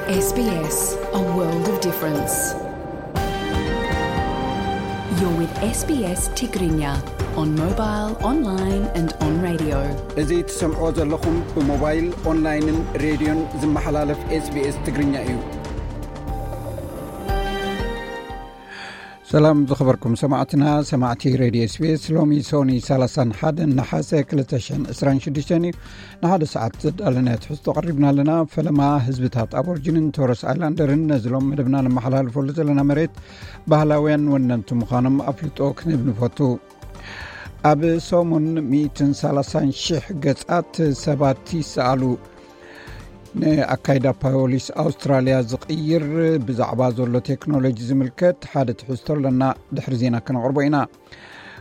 S B S, a world of difference. You're with S B S Tigrinya on mobile, online and on radio. እዚ ትሰምዖ ዘለኹም ብሞባይል፣ ኦንላይንን ሬድዮን ዝመሓላለፍ S B S ትግርኛ እዩ። ሰላም ዝኸበርኩም ሰማዕትና፣ ሰማዕቲ ሬድዮ S B S። ሎሚ ሶኒ ሰላሳን ሓደን ነሓሰ ክልተ ሽሕን ዕስራን ሽዱሽተን እዩ። ንሓደ ሰዓት ዘዳለናዮ ትሕዝቶ ቀሪብና ኣለና። ፈለማ ህዝብታት ኣቦርጅንን ቶረስ ኣይላንደርን ነዚ ሎም መደብና ነመሓላልፈሉ ዘለና መሬት ባህላውያን ወነንቲ ምዃኖም ኣፍልጦ ክንህብ ንፈቱ። ኣብ ሰሙን ሚእትን ሰላሳን ሽሕ ገጻት ሰባት ይሰኣሉ። ንኣካይዳ ፖሊስ ኣውስትራልያ ዝቕይር ብዛዕባ ዘሎ ቴክኖሎጂ ዝምልከት ሓደ ትሕዝቶ ኣለና። ድሕሪ ዜና ከነቕርቦ ኢና።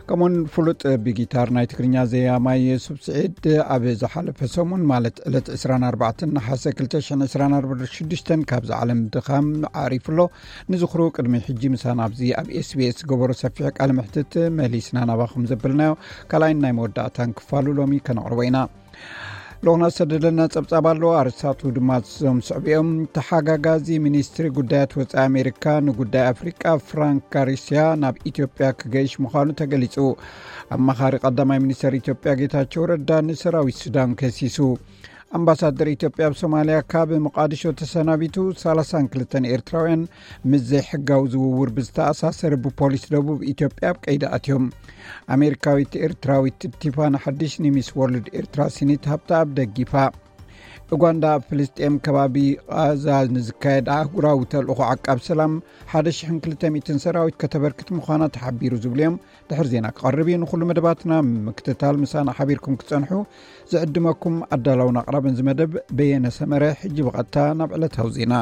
ከምኡውን ፍሉጥ ብጊታር ናይ ትግርኛ ዘያማይ የሱፍ ስዒድ ኣብ ዝሓለፈ ሰሙን፣ ማለት ዕለት ዕስራን ኣርባዕተን ነሓሰ ክልተ ሽሕን ዕስራን ኣርባዕተን ሽዱሽተን ካብዚ ዓለም ድኻም ዓሪፉ ኣሎ። ንዝኽሩ ቅድሚ ሕጂ ምሳና ኣብዚ ኣብ S B S ገበሮ ሰፊሕ ቃለ መሕትት መሊስና ናባኹም ዘበልናዮ ካልኣይን ናይ መወዳእታን ክፋሉ ሎሚ ከነቕርቦ ኢና። ልኡኽና ዝሰደደልና ጸብጻብ ኣሎ። ኣርእስታቱ ድማ እዞም ዝስዕቡ እዮም። ተሓጋጋዚ ሚኒስትሪ ጉዳያት ወጻኢ ኣሜሪካ ንጉዳይ ኣፍሪቃ ፍራንክ ጋሪሲያ ናብ ኢትዮጵያ ክገይሽ ምዃኑ ተገሊጹ። ኣማኻሪ ቀዳማይ ሚኒስተር ኢትዮጵያ ጌታቸው ረዳ ንሰራዊት ሱዳን ከሲሱ። ኣምባሳደር ኢትዮጵያ ኣብ ሶማልያ ካብ ሞቃዲሾ ተሰናቢቱ። ሰላሳን ክልተን ኤርትራውያን ምስ ዘይሕጋዊ ዝውውር ብዝተኣሳሰረ ብፖሊስ ደቡብ ኢትዮጵያ ኣብ ቀይዲ ኣትዮም። ኣሜሪካዊት ኤርትራዊት ቲፋና ሓድሽ ንሚስ ወርልድ ኤርትራ ሲኒት ሃብተኣብ ደጊፋ። ኡጋንዳ ኣብ ፍልስጤም ከባቢ ቓዛ ንዝካየድ ኣህጉራዊ ተልእኾ ዓቃብ ሰላም ሓደ ሽሕን ክልተ ሚእትን ሰራዊት ከተበርክት ምዃና ተሓቢሩ ዝብሉ እዮም። ድሕሪ ዜና ክቐርብ እዩ። ንኹሉ መደባትና ምክትታል ምሳና ሓቢርኩም ክትጸንሑ ዝዕድመኩም ኣዳላውን ኣቕራብን እዚ መደብ በየነ ሰመረ። ሕጂ ብቐጥታ ናብ ዕለታዊ ዜና።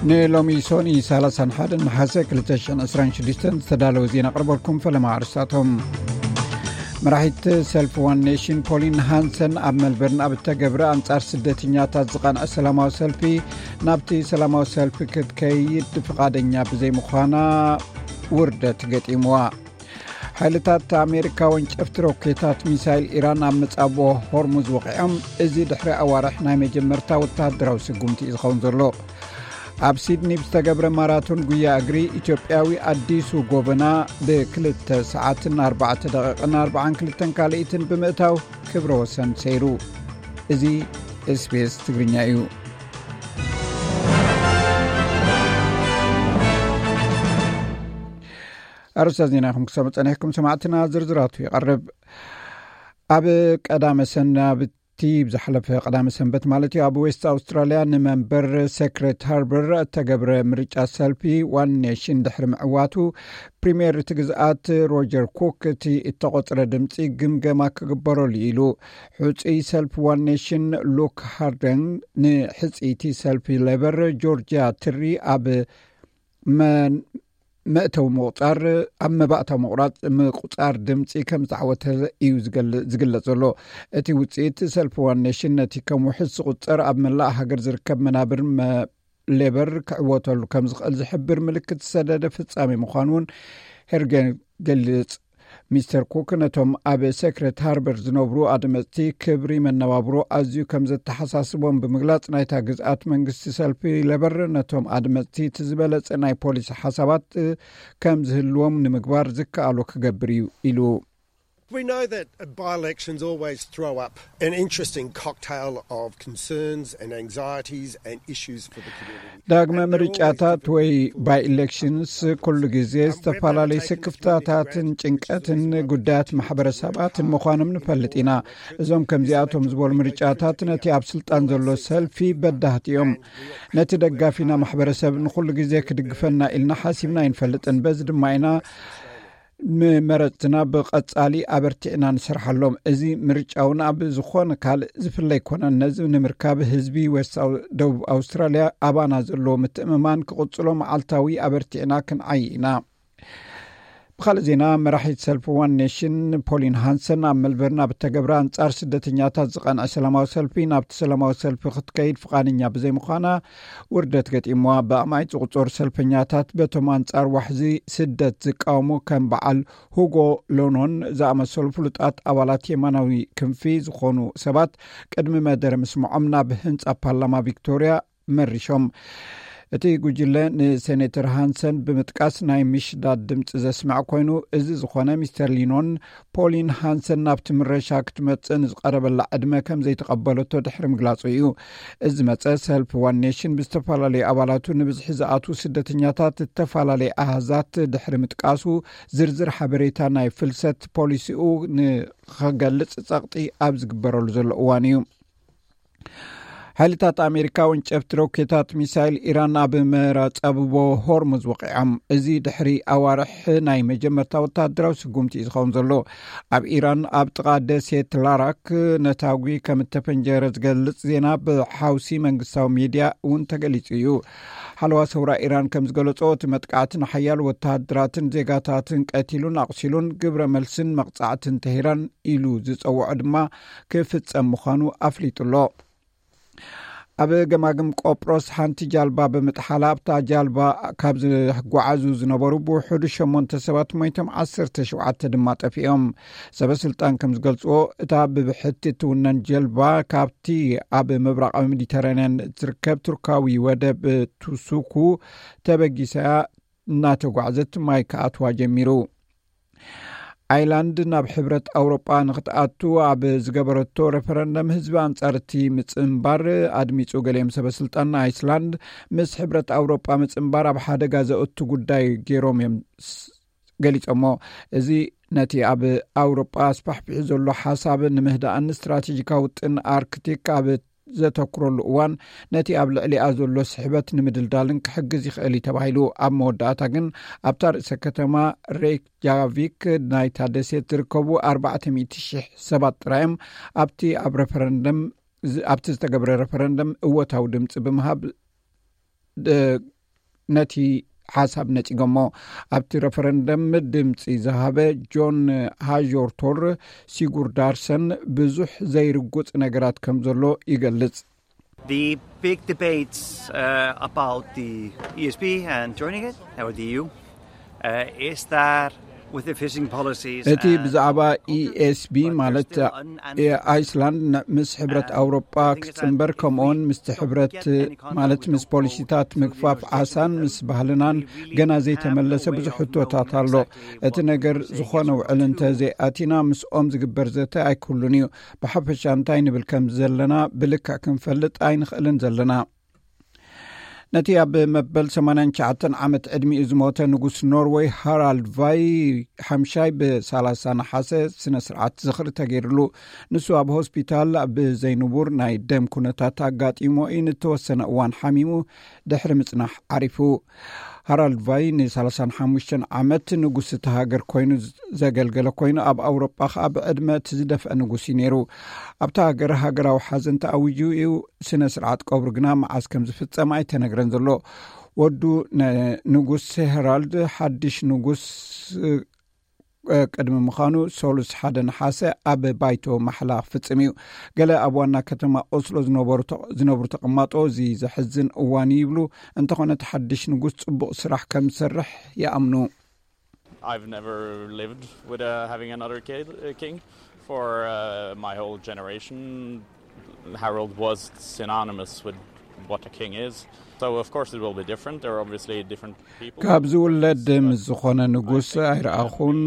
ንሎሚ ሶኒ ሰላሳን ሓደን ነሓሰ ክልተ ሽሕን ዕስራን ሽዱሽተን ዝተዳለወ ዜና ኣቕርበልኩም። ፈለማ ኣርስታቶም። መራሒት ሰልፊ ዋን ኔሽን ፖሊን ሃንሰን ኣብ መልበርን ኣብ እተገብረ ኣንጻር ስደተኛታት ዝቐንዐ ሰላማዊ ሰልፊ፣ ናብቲ ሰላማዊ ሰልፊ ክትከይድ ፍቓደኛ ብዘይምዃና ውርደት ገጢምዋ። ሓይልታት ኣሜሪካ ወንጨፍቲ ሮኬታት ሚሳይል ኢራን ኣብ መጻብቦ ሆርሙዝ ወቒዖም። እዚ ድሕሪ ኣዋርሕ ናይ መጀመርታ ወተሃደራዊ ስጉምቲ እዩ ዝኸውን ዘሎ። ኣብ ሲድኒ ብዝተገብረ ማራቶን ጉያ እግሪ፣ ኢትዮጵያዊ ኣዲሱ ጎበና ብክልተ ሰዓትን ኣርባዕተ ደቂቕን ኣርባዓን ክልተን ካልኢትን ብምእታው ክብረ ወሰን ሰይሩ። እዚ S B S ትግርኛ እዩ። ኣርእስታት ዜና ኢኹም ክሰሙ ጸኒሕኩም ሰማዕትና፣ ዝርዝራቱ ይቐርብ። ኣብ ቀዳመ ሰናብቲ፣ ብዝሓለፈ ቀዳመ ሰንበት ማለት እዩ፣ ኣብ ዌስት ኣውስትራልያ ንመንበር ሴክሬት ሃርበር እተገብረ ምርጫ ሰልፊ ዋን ኔሽን ድሕሪ ምዕዋቱ፣ ፕሪምየር እቲ ግዝኣት ሮጀር ኩክ እቲ እተቖጽረ ድምጺ ግምገማ ክግበረሉ ኢሉ። ሕጹይ ሰልፊ ዋን ኔሽን ሉክ ሃርደን ንሕጽይቲ ሰልፊ ሌበር ጆርጅያ ትሪ ኣብ መ-፣ መእተዊ ምቑጻር፣ ኣብ መባእታዊ ምቑራጽ፣ ምቁጻር ድምጺ ከም ዝተዓወተ እዩ ዝገል-፣ ዝግለጽ ዘሎ። እቲ ውጽኢት ሰልፊ ዋን ኔሽን ነቲ ከም ውሕስ ዝቑጸር ኣብ መላእ ሃገር ዝርከብ መናብር መ-፣ ሌበር ክዕወተሉ ከም ዝኽእል ዝሕብር ምልክት ዝሰደደ ፍጻሜ ምዃኑ እውን ሄርገን ገልጽ። ሚስተር ኩክ ነቶም ኣብ ሴክሬት ሃርበር ዝነብሩ ኣድመጽቲ ክብሪ መነባብሮ ኣዝዩ ከም ዘተሓሳስቦም ብምግላጽ፣ ናይታ ግዝኣት መንግስቲ ሰልፊ ሌበር ነቶም ኣድመጽቲ እቲ ዝበለጸ ናይ ፖሊሲ ሓሳባት ከም ዝህልዎም ንምግባር ዝከኣሎ ክገብር እዩ ኢሉ። We know that by-elections always throw up an interesting cocktail of concerns and anxieties and issues for the community. ዳግመ ምርጫታት ወይ ባይ ኢሌክሽንስ ኩሉ ግዜ ዝተፈላለዩ ስክፍታታትን ጭንቀትን ጉዳያት ማሕበረሰባትን ምዃኖም ንፈልጥ ኢና። እዞም ከምዚኣቶም ዝበሉ ምርጫታት ነቲ ኣብ ስልጣን ዘሎ ሰልፊ በዳህቲ እዮም። ነቲ ደጋፊና ማሕበረሰብ ንኹሉ ግዜ ክድግፈና ኢልና ሓሲብና ኣይንፈልጥን። በዚ ድማ ኢና ንመረፅትና ብቐፃሊ ኣበርቲዕና ንሰርሓሎም። እዚ ምርጫ እውን ኣብ ዝኾነ ካልእ ዝፍለ ኣይኮነን። ነዚ ንምርካብ ህዝቢ ዌስት ኣው-፣ ደቡብ ኣውስትራልያ ኣባና ዘለዎ ምትእምማን ክቕፅሎ መዓልታዊ ኣበርቲዕና ክንዓይ ኢና። ብኻልእ ዜና፣ መራሒት ሰልፊ ዋን ኔሽን ፖሊን ሃንሰን ኣብ መልበርን ኣብ እተገብረ ኣንጻር ስደተኛታት ዝቐንዐ ሰላማዊ ሰልፊ፣ ናብቲ ሰላማዊ ሰልፊ ክትከይድ ፍቓደኛ ብዘይምዃና ውርደት ገጢምዋ። ብኣማኢት ዝቑጸሩ ሰልፈኛታት በቶም ኣንጻር ዋሕዚ ስደት ዝቃወሙ ከም በዓል ሁጎ ሎኖን ዝኣመሰሉ ፍሉጣት ኣባላት የማናዊ ክንፊ ዝኾኑ ሰባት ቅድሚ መደረ ምስምዖም ናብ ህንጻ ፓርላማ ቪክቶሪያ መሪሾም። እቲ ጉጅለ ንሴኔተር ሃንሰን ብምጥቃስ ናይ ምሽዳድ ድምፂ ዘስምዕ ኮይኑ፣ እዚ ዝኾነ ሚስተር ሊኖን ፖሊን ሃንሰን ናብቲ ምረሻ ክትመፅእ ንዝቐረበላ ዕድመ ከም ዘይተቐበለቶ ድሕሪ ምግላፁ እዩ። እዚ መፀ ሰልፊ ዋን ኔሽን ብዝተፈላለዩ ኣባላቱ ንብዝሒ ዝኣትዉ ስደተኛታት ዝተፈላለየ ኣሃዛት ድሕሪ ምጥቃሱ፣ ዝርዝር ሓበሬታ ናይ ፍልሰት ፖሊሲኡ ንኸገልፅ ፀቕጢ ኣብ ዝግበረሉ ዘሎ እዋን እዩ። ሓይልታት ኣሜሪካ ወንጨፍቲ ሮኬታት ሚሳይል ኢራን ኣብ መራጻብቦ ሆርሙዝ ወቒዖም። እዚ ድሕሪ ኣዋርሕ ናይ መጀመርታ ወታደራዊ ስጉምቲ እዩ ዝኸውን ዘሎ። ኣብ ኢራን ኣብ ጥቓ ደሴት ላራክ ነታጒ ከም እተፈንጀረ ዝገልጽ ዜና ብሓውሲ መንግስታዊ ሚድያ እውን ተገሊጹ እዩ። ሓለዋ ሰውራ ኢራን ከም ዝገለጾ፣ እቲ መጥቃዕቲ ንሓያሎ ወታደራትን ዜጋታትን ቀቲሉን ኣቑሲሉን፣ ግብረ መልስን መቕጻዕትን ተሂራን ኢሉ ዝጸውዖ ድማ ክፍጸም ምዃኑ ኣፍሊጡ ኣሎ። ኣብ ገማግም ቆጵሮስ ሓንቲ ጃልባ ብምጥሓላ፣ ኣብታ ጃልባ ካብ ዝጓዓዙ ዝነበሩ ብውሕዱ ሸሞንተ ሰባት ሞይቶም፣ ዓሰርተ ሸውዓተ ድማ ጠፊኦም። ሰበ ስልጣን ከም ዝገልጽዎ፣ እታ ብብሕቲ እትውነን ጀልባ ካብቲ ኣብ ምብራቓዊ ሜዲተራንያን እትርከብ ቱርካዊ ወደብ ቱሱኩ ተበጊሳ እናተጓዕዘት ማይ ክኣትዋ ጀሚሩ። ኣይላንድ ናብ ሕብረት ኣውሮጳ ንክትኣቱ ኣብ ዝገበረቶ ሬፈረንደም፣ ህዝቢ ኣንጻር እቲ ምጽንባር ኣድሚጹ። ገሊኦም ሰበ ስልጣን ኣይስላንድ ምስ ሕብረት ኣውሮጳ ምጽንባር ኣብ ሓደጋ ዘእቱ ጉዳይ ገይሮም እዮም ስ-፣ ገሊጾሞ። እዚ ነቲ ኣብ ኣውሮጳ ኣስፋሕፊሑ ዘሎ ሓሳብ ንምህዳእን ስትራቴጂካዊ ውጥን ኣርክቲክ ኣብ ዘተኩረሉ እዋን፣ ነቲ ኣብ ልዕሊኣ ዘሎ ስሕበት ንምድልዳልን ክሕግዝ ይኽእል እዩ ተባሂሉ። ኣብ መወዳእታ ግን፣ ኣብታ ርእሰ ከተማ ሬክጃቪክ ናይታ ደሴት ዝርከቡ ኣርባዕተ ሚእቲ ሽሕ ሰባት ጥራዮም ኣብቲ ኣብ ሬፈረንደም፣ ዝ-፣ ኣብቲ ዝተገብረ ሬፈረንደም እወታዊ ድምፂ ብምሃብ፣ ድ-፣ ነቲ ሓሳብ ነጺጎሞ። ኣብቲ ሬፈረንደም ድምጺ ዝሃበ ጆን ሃዦርቶር ሲጉርዳርሰን ብዙሕ ዘይርጉጽ ነገራት ከም ዘሎ ይገልጽ። The big debates, uh, about the E S B and joining it, or the E U, uh, is that with the fishing policies እቲ and ብዛዕባ E S B ማለት ኣይስላንድ ን-፣ ምስ ሕብረት ኣውሮጳ ክጽንበር፣ ከምኡውን ምስቲ ሕብረት ማለት ምስ ፖሊሲታት ምግፋፍ ዓሳን ምስ ባህልናን ገና ዘይተመለሰ ብዙሕ ሕቶታት ኣሎ። እቲ ነገር ዝኾነ ውዕል እንተ ዘይኣቲና፣ ምስኦም ዝግበር ዘተ ኣይክህሉን እዩ። ብሓፈሻ እንታይ ንብል ከም ዘለና ብልክዕ ክንፈልጥ ኣይንኽእልን ዘለና። ነቲ ኣብ መበል ሰማንያን ትሽዓተን ዓመት ዕድሚኡ ዝሞተ ንጉስ ኖርወይ ሃራልድ ቫይ ሓምሻይ ብሰላሳ ነሓሰ ስነ ስርዓት ዝኽሪ ተገይርሉ። ንሱ ኣብ ሆስፒታል ብዘይንቡር ናይ ደም ኩነታት ኣጋጢሞ እዩ ንተወሰነ እዋን ሓሚሙ ድሕሪ ምጽናሕ ዓሪፉ። ሃራልድ ቫይ ንሰላሳን ሓሙሽተን ዓመት ንጉስ እቲ ሃገር ኮይኑ ዘገልገለ ኮይኑ፣ ኣብ ኣውሮጳ ኸኣ ብዕድመ እቲ ዝደፍአ ንጉስ እዩ ነይሩ። ኣብታ ሃገር ሃገራዊ ሓዘን ተኣዊጁ እዩ። ስነ ስርዓት ቀብሩ ግና መዓስ ከም ዝፍጸም ኣይተነግረን ዘሎ። ወዱ ነ-፣ ንጉስ ሄራልድ ሓድሽ ንጉስ፣ እ፣ ቅድሚ ምዃኑ፣ ሰሉስ ሓደ ነሓሰ ኣብ ባይቶ ማሕላ ክፍጽም እዩ። ገለ ኣብ ዋና ከተማ ኦስሎ ዝነበሩ ተ-፣ ዝነብሩ ተቐማጦ፣ እዚ ዘሕዝን እዋን እዩ ይብሉ። እንተኾነ፣ እቲ ሓድሽ ንጉስ ጽቡቕ ስራሕ ከም ዝሰርሕ ይኣምኑ። I've never lived with, uh, having another kid, uh, king. For, uh, my whole generation, Harold was synonymous with what a king is. So, of course, it will be different. There are obviously different people. ካብ ዝውለድ ምስ ዝኾነ ንጉስ ኣይረኣኹን፣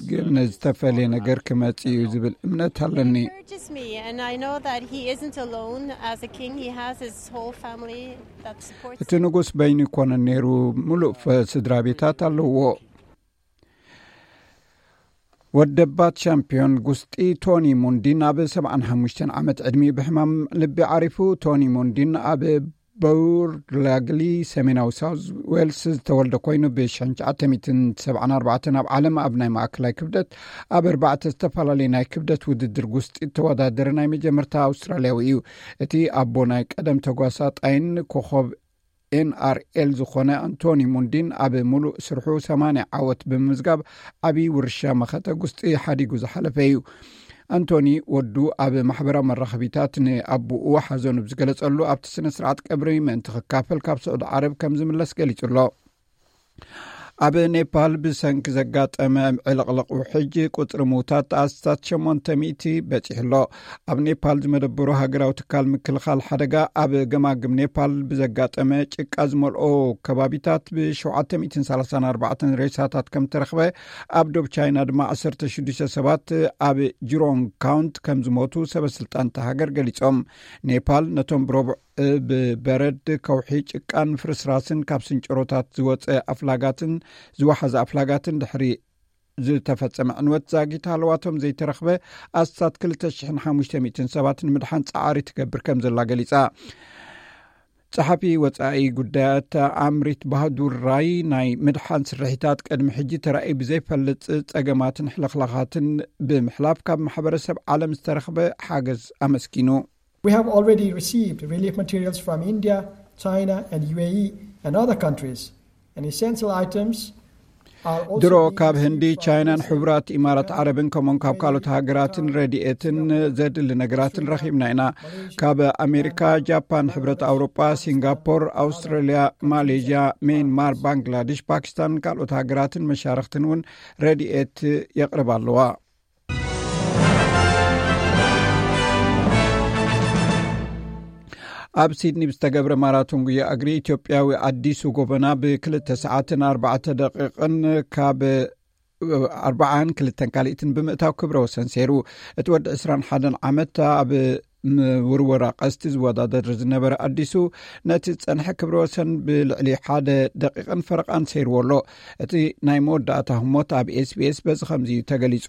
ግን ዝተፈለየ ነገር ክመጽእ እዩ ዝብል እምነት ኣለኒ። Encourages me, and I know that he isn't alone as a king. He has his whole family that supports እቲ him. ንጉስ በይኑ ይኮነን ነይሩ፣ ምሉእ ፈ-፣ ስድራ ቤታት ኣለዎ። ወደባት ሻምፒዮን ጉስጢ ቶኒ ሙንዲን ኣብ ሰብዓን ሓሙሽተን ዓመት ዕድሚኡ ብሕማም ልቢ ዓሪፉ። ቶኒ ሙንዲን ኣብ በውርላግሊ፣ ሰሜናዊ ሳውዝ ዌልስ ዝተወልደ ኮይኑ፣ ብ ሽሕን ትሽዓተ ሚእትን ሰብዓን ኣርባዕተን ኣብ ዓለም ኣብ ናይ ማእከላይ ክብደት ኣብ ኣርባዕተ ዝተፈላለዩ ናይ ክብደት ውድድር ጉስጢ እተወዳደረ ናይ መጀመርታ ኣውስትራልያዊ እዩ። እቲ ኣቦ ናይ ቀደም ተጓሳጣይን ኮኸብ ኤንኣርኤል ዝኾነ ኣንቶኒ ሙንዲን ኣብ ሙሉእ ስርሑ ሰማንያ ዓወት ብምምዝጋብ ዓብዪ ውርሻ መኸተ ጉስጢ ሓዲጉ ዝሓለፈ እዩ። ኣንቶኒ ወዱ ኣብ ማሕበራዊ መራኸቢታት ንኣቡኡ ሓዘኑ ብዝገለጸሉ ኣብቲ ስነ ስርዓት ቀብሪ ምእንቲ ክካፈል ካብ ስዑዲ ዓረብ ከም ዝምለስ ገሊጹ ኣሎ። ኣብ ኔፓል ብሰንኪ ዘጋጠመ ዕልቕልቕ ውሕጅ ቁጽሪ ምውታት ኣስታት ሸሞንተ ሚእቲ በጺሑ ኣሎ። ኣብ ኔፓል ዝመደበሩ ሃገራዊ ትካል ምክልኻል ሓደጋ ኣብ ገማግም ኔፓል ብዘጋጠመ ጭቃ ዝመልኦ ከባቢታት ብ ሸውዓተ ሚእትን ሰላሳን ኣርባዕተን ሬሳታት ከም ተረኽበ፣ ኣብ ዶብ ቻይና ድማ ዓሰርተ ሽዱሽተ ሰባት ኣብ ጅሮንግ ካውንቲ ከም ዝሞቱ ሰበ ስልጣን እታ ሃገር ገሊጾም። ኔፓል ነቶም ብረቡዕ ብበረድ፣ ከውሒ፣ ጭቃን ፍርስራስን ካብ ስንጭሮታት ዝወፀ ኣፍላጋትን ዝወሓዘ ኣፍላጋትን ድሕሪ ዝተፈጸመ ዕንወት ዛጊት ሃለዋቶም ዘይተረኽበ ኣስታት ክልተ ሽሕን ሓሙሽተ ሚእትን ሰባት ንምድሓን ጻዕሪ ትገብር ከም ዘላ ገሊጻ። ጸሓፊ ወጻኢ ጉዳያት ኣምሪት ባህዱር ራይ፣ ናይ ምድሓን ስርሒታት ቅድሚ ሕጂ ተራእዩ ብዘይፈልጥ ጸገማትን ሕልኽላኻትን ብምሕላፍ ካብ ማሕበረሰብ ዓለም ዝተረኽበ ሓገዝ ኣመስጊኑ። We have already received relief materials from India, China, and U A E and other countries. And essential items are also ድሮ being ካብ ህንዲ፣ received from ቻይናን Israel. ሕቡራት ኢማራት ዓረብን ከምኡን ካብ ካልኦት ሃገራትን ረድኤትን ዘድሊ ነገራትን ረኺብና ኢና። ካብ ኣሜሪካ፣ ጃፓን፣ ሕብረት ኣውሮጳ፣ ሲንጋፖር፣ ኣውስትራልያ፣ ማሌዥያ፣ ሜንማር፣ ባንግላዴሽ፣ ፓኪስታን ካልኦት ሃገራትን መሻርኽትን እውን ረድኤት የቕርባ ኣለዋ። ኣብ ሲድኒ ብዝተገብረ ማራቶን ጉያ እግሪ፣ ኢትዮጵያዊ ኣዲሱ ጎበና ብክልተ ሰዓትን ኣርባዕተ ደቂቕን ካብ ኣርባዓን ክልተን ካልኢትን ብምእታው ክብረ ወሰን ሰይሩ። እቲ ወዲ ዕስራን ሓደን ዓመት ኣብ ምውርወራ ቀስቲ ዝወዳደር ዝነበረ ኣዲሱ፣ ነቲ ዝጸንሐ ክብረ ወሰን ብልዕሊ ሓደ ደቂቕን ፈረቓን ሰይርዎ ኣሎ። እቲ ናይ መወዳእታ ህሞት ኣብ ኤስቢኤስ በዚ ከምዚ እዩ ተገሊጹ።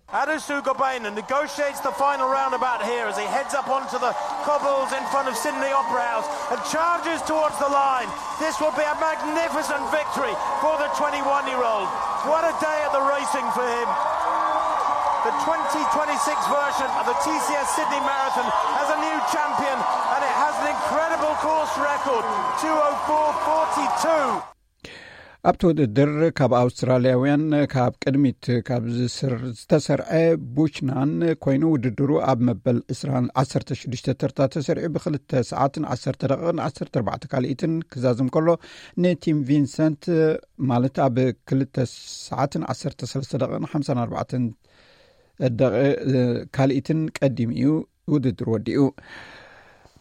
Adisu Gobena negotiates the final roundabout here as he heads up onto the cobbles in front of Sydney Opera House and charges towards the line. This will be a magnificent victory for the twenty-one-year-old. What a day at the racing for him. The twenty twenty-six version of the T C S Sydney Marathon has a new champion, and it has an incredible course record, two oh four forty-two. ኣብቲ ውድድር ካብ ኣውስትራልያውያን ካብ ቅድሚት ካብ ዝስር-፣ ዝተሰርዐ ቡችናን ኮይኑ፣ ውድድሩ ኣብ መበል ዕስራን ዓሰርተ ሽዱሽተ ተርታ ተሰሪዑ ብክልተ ሰዓትን ዓሰርተ ደቂቕን ዓሰርተ ኣርባዕተ ካልኢትን ክዛዝም ከሎ፣ ንቲም ቪንሰንት ማለት ኣብ ክልተ ሰዓትን ዓሰርተ ሰለስተ ደቂቕን ሓምሳን ኣርባዕተን ደቂ-፣ ካልኢትን ቀዲሙ እዩ ውድድር ወዲኡ።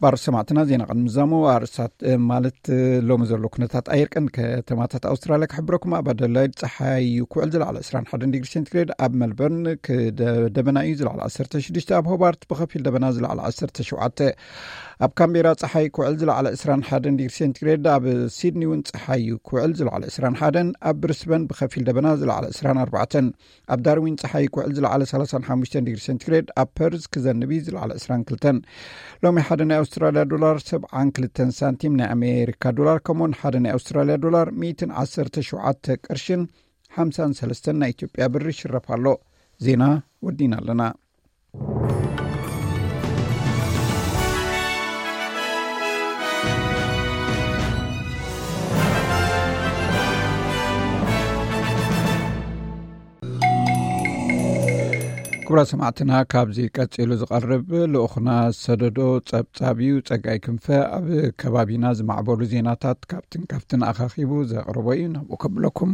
ባር ሰማዕትና፣ ዜና ቅድሚ ምዛሙ ኣርእስታት፣ እ፣ ማለት፣ እ፣ ሎሚ ዘሎ ኩነታት ኣየር ቀንዲ ከተማታት ኣውስትራልያ ክሕብረኩም። ኣብ ኣደላይድ ጸሓይ ክውዕል ዝለዓለ ዕስራን ሓደን ዲግሪ ሴንቲግሬድ፣ ኣብ መልበርን ክደ-፣ ደበና እዩ ዝለዓለ ዓሰርተ ሽዱሽተ፣ ኣብ ሆባርት ብኸፊል ደበና ዝለዓለ ዓሰርተ ሸውዓተ፣ ኣብ ካምቤራ ጸሓይ ክውዕል ዝለዓለ ዕስራን ሓደን ዲግሪ ሴንቲግሬድ፣ ኣብ ሲድኒ እውን ጸሓይ ክውዕል ዝለዓለ ዕስራን ሓደን፣ ኣብ ብሪስበን ብኸፊል ደበና ዝለዓለ ዕስራን ኣርባዕተን፣ ኣብ ዳርዊን ጸሓይ ክውዕል ዝለዓለ ሰላሳን ሓሙሽተን ዲግሪ ሴንቲግሬድ፣ ኣብ ፐርዝ ክዘንብ እዩ ዝለዓለ ዕስራን ክልተን። ሎሚ ሓደ ናይ ኣውስትራልያ ዶላር ሰብዓን ክልተን ሳንቲም፣ ናይ ኣሜሪካ ዶላር ከምኡውን ሓደ ናይ ኣውስትራልያ ዶላር ሚእትን ዓሰርተ ሸውዓተ ቅርሽን ሓምሳን ሰለስተን ናይ ኢትዮጵያ ብር ይሽረፍ ኣሎ። ዜና ወዲና ኣለና። ክቡራት ሰማዕትና፣ ካብዚ ቀጺሉ ዝቐርብ ልኡኽና ሰደዶ ጸብጻብ እዩ። ጸጋይ ክንፈ ኣብ ከባቢና ዝማዕበሉ ዜናታት ካብትን ካብትን ኣኻኺቡ ዘቕርቦ እዩ። ናብኡ ከብለኩም።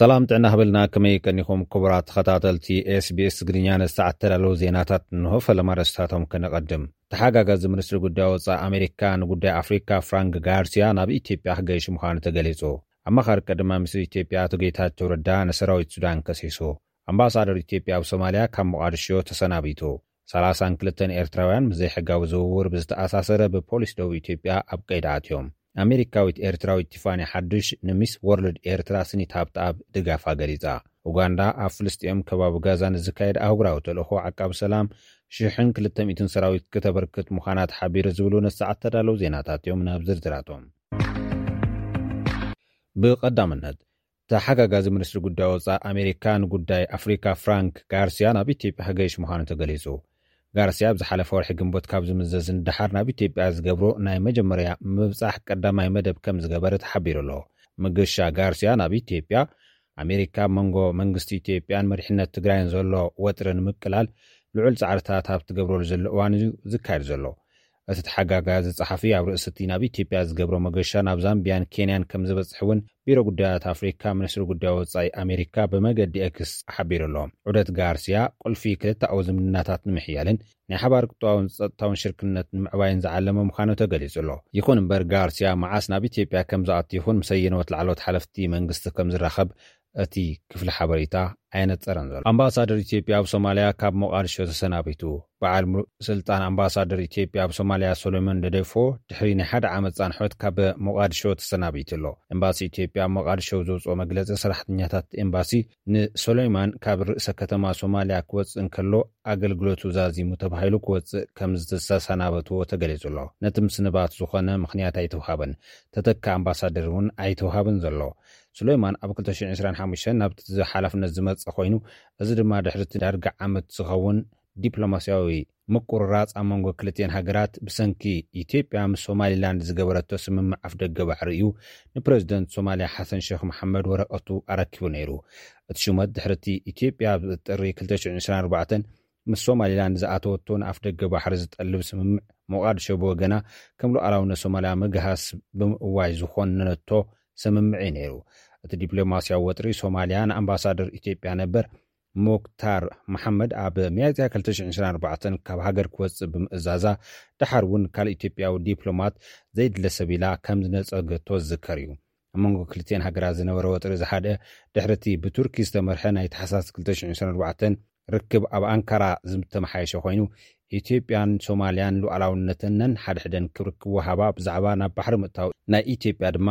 ሰላም ጥዕና ሃበልና፣ ከመይ ቀኒኹም ክቡራት ተኸታተልቲ ኤስቢኤስ ትግርኛ? ነዚ ሰዓት ተዳለዉ ዜናታት እንሆ፣ ፈለማ ኣርእስታቶም ከነቐድም። ተሓጋጋዚ ሚኒስትሪ ጉዳይ ወጻኢ ኣሜሪካ ንጉዳይ ኣፍሪካ ፍራንክ ጋርሲያ ናብ ኢትዮጵያ ክገይሽ ምዃኑ ተገሊጹ። ኣማኻሪ ቀዳማይ ሚኒስትር ኢትዮጵያ ኣቶ ጌታቸው ረዳ ንሰራዊት ሱዳን ከሲሱ። ኣምባሳደር ኢትዮጵያ ኣብ ሶማልያ ካብ ሞቓድሾ ተሰናቢቱ። ሰላሳን ክልተን ኤርትራውያን ምስ ዘይሕጋዊ ዝውውር ብዝተኣሳሰረ ብፖሊስ ደቡብ ኢትዮጵያ ኣብ ቀይዲ ኣትዮም። ኣሜሪካዊት ኤርትራዊት ቲፋኒ ሓዱሽ ንሚስ ወርልድ ኤርትራ ስኒት ሃብተኣብ ድጋፋ ገሊጻ። ኡጋንዳ ኣብ ፍልስጤም ከባቢ ጋዛ ንዝካየድ ኣህጉራዊ ተልእኾ ዓቃቢ ሰላም ሽሕን ክልተ ሚእትን ሰራዊት ክተበርክት ምዃና ተሓቢሩ ዝብሉ ነሰዓት ተዳለዉ ዜናታት እዮም። ናብ ዝርዝራቶም። ብቐዳምነት፣ ተሓጋጋዚ ሚኒስትሪ ጉዳይ ወጻኢ ኣሜሪካ ንጉዳይ ኣፍሪካ ፍራንክ ጋርሲያ ናብ ኢትዮጵያ ክገይሽ ምዃኑ ተገሊጹ። ጋርሲያ ኣብ ዝሓለፈ ወርሒ ግንቦት ካብ ዝምዘዝ ንደሓር ናብ ኢትዮጵያ ዝገብሮ ናይ መጀመርያ ምብጻሕ ቀዳማይ መደብ ከም ዝገበረ ተሓቢሩ ኣሎ። መገሻ ጋርሲያ ናብ ኢትዮጵያ፣ ኣሜሪካ ኣብ መንጎ መንግስቲ ኢትዮጵያን መሪሕነት ትግራይን ዘሎ ወጥሪ ንምቅላል ልዑል ጻዕርታት ኣብ ትገብረሉ ዘሎ እዋን እዩ ዝካየድ ዘሎ። እቲ ተሓጋጋዚ ጸሓፊ ኣብ ርእሲ እቲ ናብ ኢትዮጵያ ዝገብሮ መገሻ ናብ ዛምቢያን ኬንያን ከም ዝበጽሕ እውን ቢሮ ጉዳያት ኣፍሪካ ሚኒስትሪ ጉዳይ ወጻኢ ኣሜሪካ ብመገዲ ኤክስ ሓቢሩ ኣሎ። ዑደት ጋርሲያ ቁልፊ ክልተኣዊ ዝምድናታት ንምሕያልን ናይ ሓባር ቁጠባውን ጸጥታውን ሽርክነት ንምዕባይን ዝዓለመ ምዃኑ ተገሊጹ ኣሎ። ይኹን እምበር ጋርሲያ መዓስ ናብ ኢትዮጵያ ከም ዝኣቱ ይኹን ምስ ኣየነዎት ላዕለዎት ሓለፍቲ መንግስቲ ከም ዝራኸብ እቲ ክፍሊ ሓበሬታ ኣየነጸረን ዘሎ። ኣምባሳደር ኢትዮጵያ ኣብ ሶማልያ ካብ ሞቓድሾ ተሰናቢቱ። በዓል ሙሉእ ስልጣን ኣምባሳደር ኢትዮጵያ ኣብ ሶማልያ ሶሎሞን ደደፎ ድሕሪ ናይ ሓደ ዓመት ጻንሖት ካብ ሞቓድሾ ተሰናቢቱ ኣሎ። ኤምባሲ ኢትዮጵያ ኣብ ሞቓድሾ ዘውፅኦ መግለፂ፣ ሰራሕተኛታት ኤምባሲ ንሶሎይማን ካብ ርእሰ ከተማ ሶማልያ ክወፅእ እንከሎ ኣገልግሎቱ ዛዚሙ ተባሂሉ ክወፅእ ከም ዝተሰናበትዎ ተገሊፁ ኣሎ። ነቲ ምስንባት ዝኾነ ምኽንያት ኣይተውሃበን። ተተካ ኣምባሳደር እውን ኣይተውሃበን ዘሎ። ሱሌይማን ኣብ ክልተ ሽሕን ዕስራን ሓሙሽተን ናብቲ ሓላፍነት ዝመጸ ኮይኑ፣ እዚ ድማ ድሕሪ እቲ ዳርጋ ዓመት ዝኸውን ዲፕሎማስያዊ ምቁርራጽ ኣብ መንጎ ክልቲኤን ሃገራት ብሰንኪ ኢትዮጵያ ምስ ሶማሊላንድ ዝገበረቶ ስምምዕ ኣፍደገ ባሕሪ እዩ ንፕረዚደንት ሶማልያ ሓሰን ሼክ መሓመድ ወረቐቱ ኣረኪቡ ነይሩ። እቲ ሹመት ድሕሪ እቲ ኢትዮጵያ ኣብ ጥሪ ክልተ ሽሕን ዕስራን ኣርባዕተን ምስ ሶማሊላንድ ዝኣተወቶ ንኣፍደገ ባሕሪ ዝጠልብ ስምምዕ፣ ሞቓድሾ ብወገና ከም ሉዓላውነት ሶማልያ ምግሃስ ብምእዋይ ዝኾነነቶ ስምምዕ እዩ ነይሩ። እቲ ዲፕሎማስያዊ ወጥሪ ሶማልያ ንኣምባሳደር ኢትዮጵያ ነበር ሞክታር መሓመድ ኣብ ሚያዝያ ክልተ ሽሕን ዕስራን ኣርባዕተን ካብ ሃገር ክወጽእ ብምእዛዛ፣ ደሓር እውን ካልእ ኢትዮጵያዊ ዲፕሎማት ዘይድለ ሰብ ኢላ ከም ዝነጸገቶ ዝዝከር እዩ። ኣብ መንጎ ክልቲኤን ሃገራት ዝነበረ ወጥሪ ዝሓደ ድሕሪ እቲ ብቱርኪ ዝተመርሐ ናይ ታሕሳስ ክልተ ሽሕን ዕስራን ኣርባዕተን ርክብ ኣብ ኣንካራ ዝተመሓየሸ ኮይኑ፣ ኢትዮጵያን ሶማልያን ሉዓላውነተን ነንሓድሕደን ክብሪ ክወሃባ፣ ብዛዕባ ናብ ባሕሪ ምእታው ናይ ኢትዮጵያ ድማ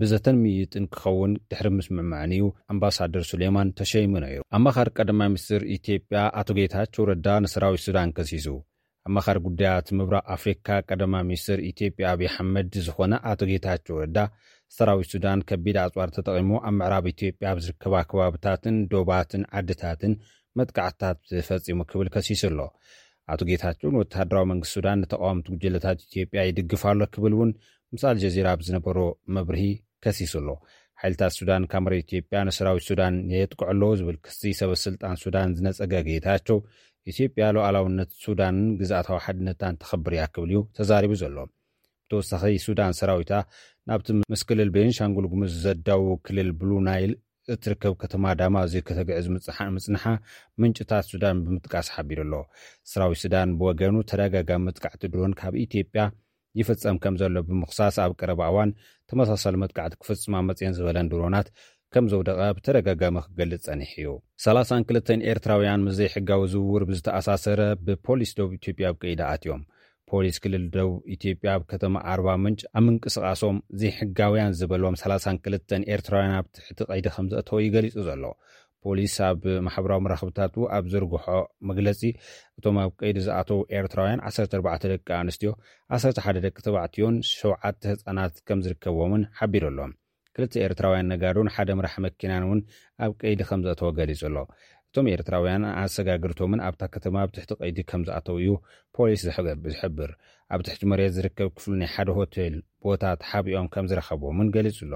ብዘተን ምይይጥን ክኸውን ድሕሪ ምስምዕማዕን እዩ ኣምባሳደር ሱሌማን ተሸይሙ ነይሩ። ኣማኻሪ ቀዳማይ ሚኒስትር ኢትዮጵያ ኣቶ ጌታቸው ረዳ ንሰራዊት ሱዳን ከሲሱ። ኣማኻሪ ጉዳያት ምብራቕ ኣፍሪካ ቀዳማይ ሚኒስትር ኢትዮጵያ ኣብይ ኣሕመድ ዝኾነ ኣቶ ጌታቸው ረዳ፣ ሰራዊት ሱዳን ከቢድ ኣጽዋር ተጠቒሙ ኣብ ምዕራብ ኢትዮጵያ ኣብ ዝርከባ ከባብታትን ዶባትን ዓድታትን መጥቃዕትታት ፈጺሙ ክብል ከሲሱ ኣሎ። ኣቶ ጌታቸው ንወተሃደራዊ መንግስቲ ሱዳን ንተቃወምቲ ጉጅለታት ኢትዮጵያ ይድግፍ ኣሎ ክብል እውን ምስ ኣልጀዚራ ኣብ ዝነበሮ መብርሂ ከሲሱ ኣሎ። ሓይልታት ሱዳን ካብ መሬት ኢትዮጵያ ንሰራዊት ሱዳን የጥቅዑ ኣለዉ ዝብል ክሲ ሰበ ስልጣን ሱዳን ዝነጸገ ጌታቸው፣ ኢትዮጵያ ሉዓላውነት ሱዳንን ግዝኣታዊ ሓድነታን ተኸብር እያ ክብል እዩ ተዛሪቡ ዘሎ። ብተወሳኺ ሱዳን ሰራዊታ ናብቲ ምስ ክልል ቤንሻንጉል ጉሙዝ ዘዳውብ ክልል ብሉ ናይል እትርከብ ከተማ ዳማዚ ከተግዕዝ ምጽሓ-፣ ምጽንሓ ምንጭታት ሱዳን ብምጥቃስ ሓቢሩ ኣሎ። ሰራዊት ሱዳን ብወገኑ ተደጋጋሚ መጥቃዕቲ ድሮን ካብ ኢትዮጵያ ይፍጸም ከም ዘሎ ብምኽሳስ፣ ኣብ ቀረባ እዋን ተመሳሳሊ መጥቃዕቲ ክፍጽማ መጽየን ዝበለን ድሮናት ከም ዘውደቐ ብተደጋጋሚ ክገልጽ ጸኒሑ እዩ። ሰላሳን ክልተን ኤርትራውያን ምስ ዘይሕጋዊ ዝውውር ብዝተኣሳሰረ ብፖሊስ ደቡብ ኢትዮጵያ ኣብ ቀይዲ ኣትዮም። ፖሊስ ክልል ደቡብ ኢትዮጵያ ኣብ ከተማ ኣርባ ምንጭ ኣብ ምንቅስቓሶም ዘይሕጋውያን ዝበሎም ሰላሳን ክልተን ኤርትራውያን ኣብ ትሕቲ ቀይዲ ከም ዘእተወ እዩ ገሊጹ ዘሎ። ፖሊስ ኣብ ማሕበራዊ መራኸብታቱ ኣብ ዘርግሖ መግለጺ፣ እቶም ኣብ ቀይዲ ዝኣተዉ ኤርትራውያን ዓሰርተ ኣርባዕተ ደቂ ኣንስትዮ፣ ዓሰርተ ሓደ ደቂ ተባዕትዮን ሸውዓተ ህጻናት ከም ዝርከብዎምን ሓቢሩ ኣሎ። ክልተ ኤርትራውያን ነጋዶን ሓደ መራሕ መኪናን እውን ኣብ ቀይዲ ከም ዘእተወ ገሊጹ ኣሎ። እቶም ኤርትራውያን ኣሰጋግርቶምን ኣብታ ከተማ ኣብ ትሕቲ ቀይዲ ከም ዝኣተዉ እዩ ፖሊስ ዝሕገ-፣ ዝሕብር። ኣብ ትሕቲ መሬት ዝርከብ ክፍሊ ናይ ሓደ ሆቴል ቦታ ተሓቢኦም ከም ዝረኸብዎምን ገሊጹ ኣሎ።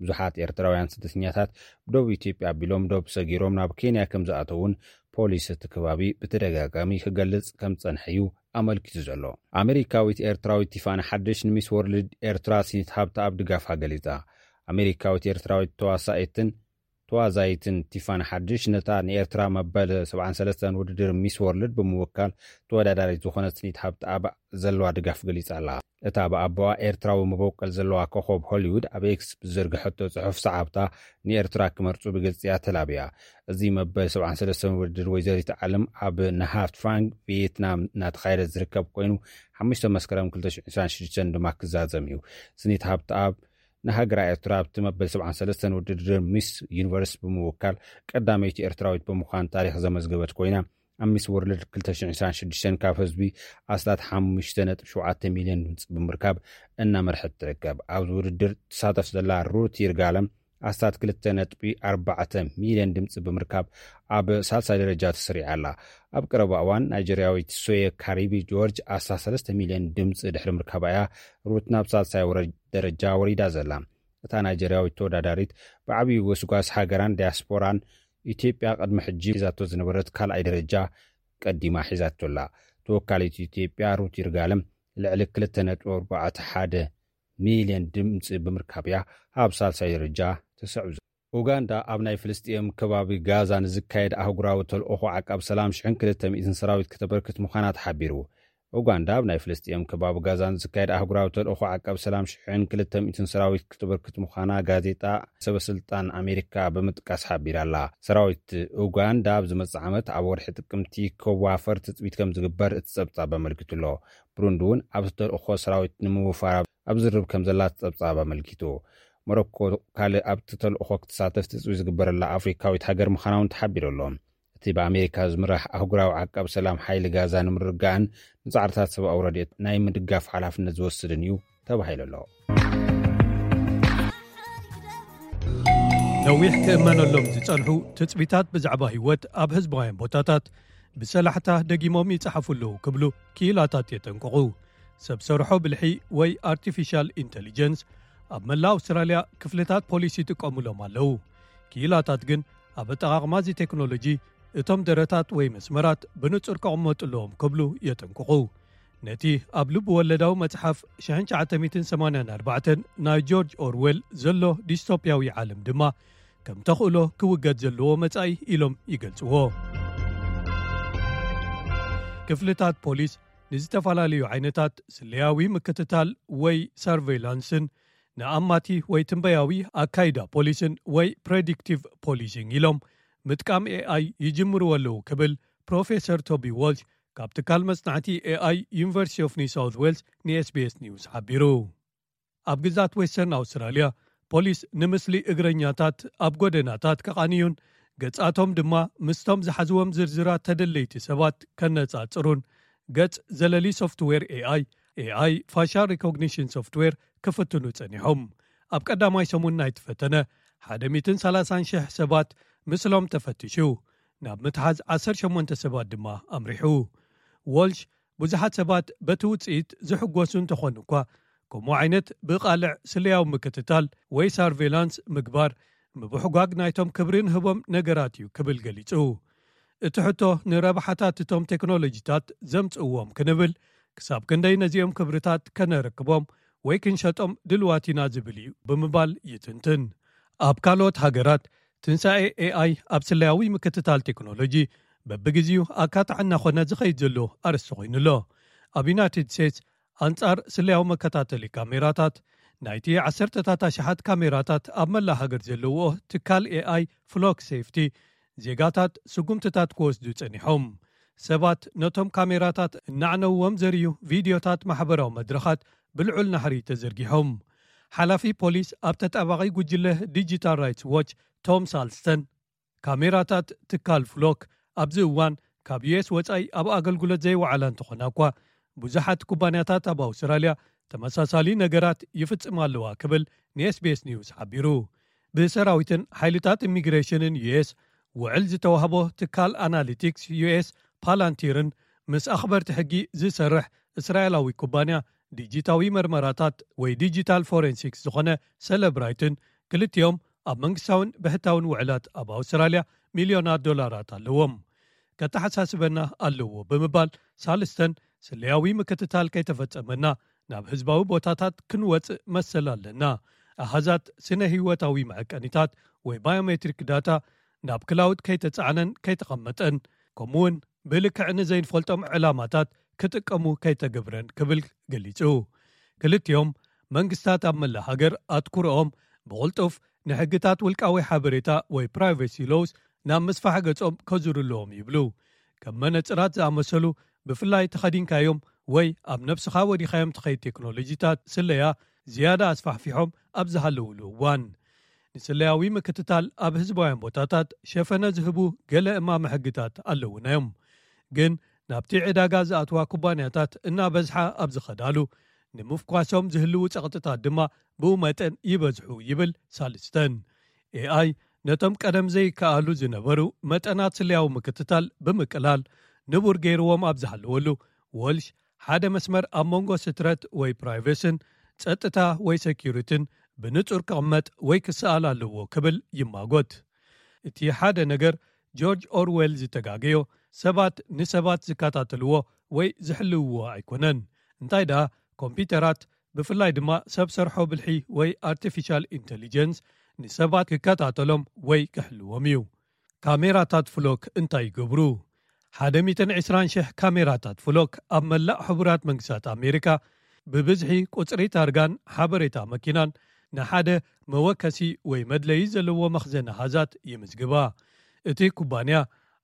ብዙሓት ኤርትራውያን ስደተኛታት ብደቡብ ኢትዮጵያ ኣቢሎም ዶብ ሰጊሮም ናብ ኬንያ ከም ዝኣተዉን ፖሊስ እቲ ከባቢ ብተደጋጋሚ ክገልጽ ከም ዝጸንሐ እዩ ኣመልኪቱ ዘሎ። ኣሜሪካዊት ኤርትራዊት ቲፋኒ ሓድሽ ንሚስ ወርልድ ኤርትራ ሲኒት ሃብተኣብ ድጋፋ ገሊጻ። ኣሜሪካዊት ኤርትራዊት ተዋሳኢትን ተዋዛይትን ቲፋኒ ሓድሽ ነታ ንኤርትራ መበል ሰብዓን ሰለስተን ውድድር ሚስ ወርልድ ብምውካል ተወዳዳሪት ዝኾነት ሲኒት ሃብተኣብ ዘለዋ ድጋፍ ገሊጻ ኣላ። እታ ብኣቦኣ ኤርትራዊ መበቆል ዘለዋ ኮኾብ ሆሊውድ ኣብ ኤክስ ብዘርግሐቶ ጽሑፍ፣ ሰዓብታ ንኤርትራ ክመርጹ ብግልጺ እያ ተላብያ። እዚ መበል ሰብዓን ሰለስተን ውድድር ወይዘሪት ዓለም ኣብ ናሃ ትራንግ ቪየትናም እናተኻየደ ዝርከብ ኮይኑ፣ ሓሙሽተ መስከረም ክልተ ሽሕን ዕስራን ሽዱሽተን ድማ ክዛዘም እዩ። ስኒት ሃብተኣብ ንሃገራ ኤርትራ ኣብቲ መበል ሰብዓን ሰለስተን ውድድር ሚስ ዩኒቨርስ ብምውካል ቀዳመይቲ ኤርትራዊት ብምዃን ታሪኽ ዘመዝገበት ኮይና፣ ኣብ ሚስ ወርልድ ክልተ ሽሕን ዕስራን ሽዱሽተን ካብ ህዝቢ ኣስታት ሓሙሽተ ነጥቢ ሸውዓተ ሚልዮን ድምጺ ብምርካብ እናመርሐት ትርከብ። ኣብዚ ውድድር ትሳተፍ ዘላ ሩት ይርጋለም ኣስታት ክልተ ነጥቢ ኣርባዕተ ሚልዮን ድምፂ ብምርካብ ኣብ ሳልሳይ ደረጃ ተሰሪዓ ኣላ። ኣብ ቀረባ እዋን ናይጀርያዊት ሶየ ካሪቢ ጆርጅ ኣስታት ሰለስተ ሚልዮን ድምፂ ድሕሪ ምርካባ እያ ሩት ናብ ሳልሳይ ወረ- ደረጃ ወሪዳ ዘላ። እታ ናይጀርያዊት ተወዳዳሪት ብዓብዪ ጎስጓስ ሃገራን ዲያስፖራን ኢትዮጵያ ቅድሚ ሕጂ ሒዛቶ ዝነበረት ካልኣይ ደረጃ ቀዲማ ሒዛቶ ኣላ። ተወካሊት ኢትዮጵያ ሩት ይርጋለም ልዕሊ ክልተ ነጥቢ ኣርባዕተ ሓደ ሚልዮን ድምፂ ብምርካብ እያ ኣብ ሳልሳይ ደረጃ ተሰዕብ። ኡጋንዳ ኣብ ናይ ፍልስጥኤም ከባቢ ጋዛ ንዝካየድ ኣህጉራዊ ተልእኾ ዓቃብ ሰላም ሽሕን ክልተ ሚእትን ሰራዊት ከተበርክት ምዃና ተሓቢሩ። ኡጋንዳ ኣብ ናይ ፍልስጥኤም ከባቢ ጋዛ ንዝካየድ ኣህጉራዊ ተልእኾ ዓቃብ ሰላም ሽሕን ክልተ ሚእትን ሰራዊት ከተበርክት ምዃና ጋዜጣ ሰበስልጣን ኣሜሪካ ብምጥቃስ ሓቢራ ኣላ። ሰራዊት ኡጋንዳ ኣብ ዝመጽእ ዓመት ኣብ ወርሒ ጥቅምቲ ከዋፈር ትጽቢት ከም ዝግበር እቲ ጸብጻብ ኣመልኪቱ ኣሎ። ብሩንዲ እውን ኣብቲ ተልእኾ ሰራዊት ንምውፋር ኣብ ዝርብ ከም ዘላ እቲ ጸብጻብ ኣመልኪቱ። ሞሮኮ ካልእ ኣብቲ ተልእኾ ክትሳተፍ ትጽቢት ዝግበረላ ኣፍሪካዊት ሃገር ምዃና እውን ተሓቢሩ ኣሎ። እቲ ብኣሜሪካ ዝምራሕ ኣህጉራዊ ዓቃብ ሰላም ሓይሊ ጋዛ ንምርግጋእን ንጻዕርታት ሰብኣዊ ረድኤት ናይ ምድጋፍ ሓላፍነት ዝወስድን እዩ ተባሂሉ ኣሎ። ነዊሕ ክእመነሎም ዝጸንሑ ትጽቢታት ብዛዕባ ህይወት ኣብ ህዝባውያን ቦታታት ብሰላሕታ ደጊሞም ይጸሓፉ ኣለዉ ክብሉ ክኢላታት የጠንቅቑ። ሰብ ሰርሖ ብልሒ ወይ ኣርቲፊሻል ኢንተሊጀንስ ኣብ መላእ ኣውስትራልያ ክፍልታት ፖሊስ ይጥቀሙሎም ኣለዉ። ክኢላታት ግን ኣብ ኣጠቓቕማ እዚ ቴክኖሎጂ እቶም ደረታት ወይ መስመራት ብንጹር ክቕመጡ ኣለዎም ክብሉ የጠንቅቑ። ነቲ ኣብ ልብ ወለዳዊ መጽሓፍ ሽሕን ትሽዓተ ሚእትን ሰማንያን ኣርባዕተን ናይ ጆርጅ ኦርዌል ዘሎ ዲስቶፕያዊ ዓለም ድማ ከም ተኽእሎ ክውገድ ዘለዎ መጻኢ ኢሎም ይገልጽዎ። ክፍልታት ፖሊስ ንዝተፈላለዩ ዓይነታት ስለያዊ ምክትታል ወይ ሰርቬይላንስን ንኣማቲ ወይ ትንበያዊ ኣካይዳ ፖሊስን ወይ ፕሬዲክቲቭ ፖሊሲንግ ኢሎም ምጥቃም ኤኣይ ይጅምርዎ ኣለዉ ክብል ፕሮፌሰር ቶቢ ዎልሽ ካብ ትካል መጽናዕቲ ኤኣይ ዩኒቨርሲቲ ኦፍ ኒው ሳውት ዌልስ ንኤስቢኤስ ኒውስ ሓቢሩ። ኣብ ግዛት ዌስተርን ኣውስትራልያ ፖሊስ ንምስሊ እግረኛታት ኣብ ጎደናታት ከቓንዩን ገጻቶም ድማ ምስቶም ዝሓዝዎም ዝርዝራት ተደለይቲ ሰባት ከነጻጽሩን ገጽ ዘለሊ ሶፍትዌር ኤኣይ ኤኣይ ፋሻል ሪኮግኒሽን ሶፍትዌር ክፍትኑ ጸኒሖም። ኣብ ቀዳማይ ሰሙን ናይቲ ፈተነ ሓደ ሚእትን ሰላሳን ሽሕ ሰባት ምስሎም ተፈቲሹ፣ ናብ ምትሓዝ ዓሰርተ ሸሞንተ ሰባት ድማ ኣምሪሑ። ዎልሽ ብዙሓት ሰባት በቲ ውጽኢት ዝሕጎሱ እንተኾኑ እኳ፣ ከምኡ ዓይነት ብቓልዕ ስለያዊ ምክትታል ወይ ሳርቬላንስ ምግባር ምብሕጓግ ናይቶም ክብሪ ንህቦም ነገራት እዩ ክብል ገሊጹ። እቲ ሕቶ ንረብሓታት እቶም ቴክኖሎጂታት ዘምጽእዎም ክንብል ክሳብ ክንደይ ነዚኦም ክብርታት ከነረክቦም ወይ ክንሸጦም ድልዋት ኢና ዝብል እዩ ብምባል ይትንትን። ኣብ ካልኦት ሃገራት ትንሳኤ ኤኣይ ኣብ ስለያዊ ምክትታል ቴክኖሎጂ በብግዜኡ ኣካታዕ እናኾነ ዝኸይድ ዘሎ ኣርእስቲ ኮይኑ ኣሎ። ኣብ ዩናይትድ ስቴትስ ኣንጻር ስለያዊ መከታተሊ ካሜራታት ናይቲ ዓሰርተታት ኣሽሓት ካሜራታት ኣብ መላእ ሃገር ዘለውኦ ትካል ኤኣይ ፍሎክ ሴፍቲ ዜጋታት ስጉምትታት ክወስዱ ጸኒሖም። ሰባት ነቶም ካሜራታት እናዕነውዎም ዘርእዩ ቪድዮታት ማሕበራዊ መድረኻት ብልዑል ናሕሪ ተዘርጊሖም። ሓላፊ ፖሊስ ኣብ ተጣባቒ ጉጅለ ዲጂታል ራይትስ ዎች ቶም ሳልስተን ካሜራታት ትካል ፍሎክ ኣብዚ እዋን ካብ ዩኤስ ወጻኢ ኣብ ኣገልግሎት ዘይወዓላ እንተኾና እኳ ብዙሓት ኩባንያታት ኣብ ኣውስትራልያ ተመሳሳሊ ነገራት ይፍጽማ ኣለዋ ክብል ንኤስቢኤስ ኒውስ ሓቢሩ። ብሰራዊትን ሓይልታት ኢሚግሬሽንን ዩኤስ ውዕል ዝተዋህቦ ትካል ኣናሊቲክስ ዩኤስ ፓላንቲርን ምስ ኣኽበርቲ ሕጊ ዝሰርሕ እስራኤላዊ ኩባንያ ዲጂታዊ መርመራታት ወይ ዲጂታል ፎሬንሲክስ ዝኾነ ሰለብራይትን ክልቲኦም ኣብ መንግስታውን ብሕታውን ውዕላት ኣብ ኣውስትራልያ ሚልዮናት ዶላራት ኣለዎም። ከተሓሳስበና ኣለዎ ብምባል ሳልስተን ስለያዊ ምክትታል ከይተፈጸመና ናብ ህዝባዊ ቦታታት ክንወጽእ መሰል ኣለና። ኣሃዛት ስነ ህይወታዊ መዐቀኒታት ወይ ባዮሜትሪክ ዳታ ናብ ክላውድ ከይተጻዕነን ከይተቐመጠን ከምኡውን ብልክዕ ንዘይንፈልጦም ዕላማታት ክጥቀሙ ከይተገብረን ክብል ገሊጹ። ክልቲኦም መንግስታት ኣብ መላእ ሃገር ኣትኩሮኦም ብቕልጡፍ ንሕግታት ውልቃዊ ሓበሬታ ወይ ፕራይቬሲ ሎውስ ናብ ምስፋሕ ገጾም ከዙሩ ኣለዎም ይብሉ። ከም መነጽራት ዝኣመሰሉ ብፍላይ ተኸዲንካዮም ወይ ኣብ ነብስኻ ወዲኻዮም ትኸይድ ቴክኖሎጂታት ስለያ ዝያዳ ኣስፋሕፊሖም ኣብ ዝሃለውሉ እዋን ንስለያዊ ምክትታል ኣብ ህዝባውያን ቦታታት ሸፈነ ዝህቡ ገለ እማመ ሕግታት ኣለውና እዮም። ግን ናብቲ ዕዳጋ ዝኣትዋ ኩባንያታት እናበዝሓ ኣብ ዝኸዳሉ ንምፍኳሶም ዝህልዉ ጸቕጥታት ድማ ብኡ መጠን ይበዝሑ ይብል ሳልስተን። ኤኣይ ነቶም ቀደም ዘይከኣሉ ዝነበሩ መጠናት ስለያዊ ምክትታል ብምቅላል ንቡር ገይርዎም ኣብ ዝሃለወሉ፣ ወልሽ ሓደ መስመር ኣብ መንጎ ስትረት ወይ ፕራይቬስን ጸጥታ ወይ ሰኪሪትን ብንጹር ክቕመጥ ወይ ክሰኣል ኣለዎ ክብል ይማጎት። እቲ ሓደ ነገር ጆርጅ ኦርዌል ዝተጋገዮ፣ ሰባት ንሰባት ዝከታተልዎ ወይ ዝሕልውዎ ኣይኮነን። እንታይ ደኣ፣ ኮምፒውተራት፣ ብፍላይ ድማ ሰብ ሰርሖ ብልሒ ወይ ኣርቲፊሻል ኢንተሊጀንስ፣ ንሰባት ክከታተሎም ወይ ክሕልዎም እዩ። ካሜራታት ፍሎክ እንታይ ይገብሩ? ሓደ ሚእትን ዕስራን ሽሕ ካሜራታት ፍሎክ ኣብ መላእ ሕቡራት መንግስታት ኣሜሪካ፣ ብብዝሒ ቁጽሪ ታርጋን ሓበሬታ መኪናን ንሓደ መወከሲ ወይ መድለዪ ዘለዎ መኽዘን ኣሃዛት ይምዝግባ። እቲ ኩባንያ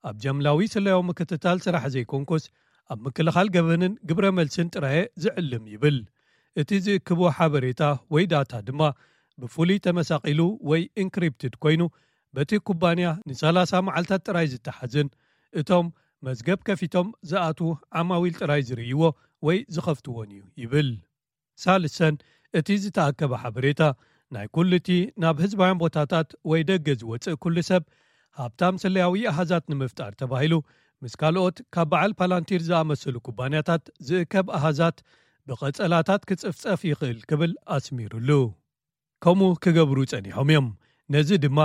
ኣብ ጃምላዊ ስለያዊ ምክትታል ስራሕ ዘይኮንኩስ፣ ኣብ ምክልኻል ገበንን ግብረ መልስን ጥራየ ዝዕልም ይብል። እቲ ዝእክቦ ሓበሬታ ወይ ዳታ ድማ ብፍሉይ ተመሳቒሉ ወይ ኢንክሪፕትድ ኮይኑ፣ በቲ ኩባንያ ንሰላሳ መዓልታት ጥራይ ዝተሓዝን እቶም መዝገብ ከፊቶም ዝኣትዉ ዓማዊል ጥራይ ዝርእይዎ ወይ ዝኸፍትዎን እዩ ይብል። ሳልሰን፣ እቲ ዝተኣከበ ሓበሬታ ናይ ኩሉ እቲ ናብ ህዝባውያን ቦታታት ወይ ደገ ዝወጽእ ኩሉ ሰብ፣ ሃብታም ስለያዊ ኣሃዛት ንምፍጣር ተባሂሉ፣ ምስ ካልኦት ካብ በዓል ፓላንቲር ዝኣመሰሉ ኩባንያታት ዝእከብ ኣሃዛት ብቐጸላታት ክጽፍጸፍ ይኽእል ክብል ኣስሚሩሉ። ከምኡ ክገብሩ ጸኒሖም እዮም። ነዚ ድማ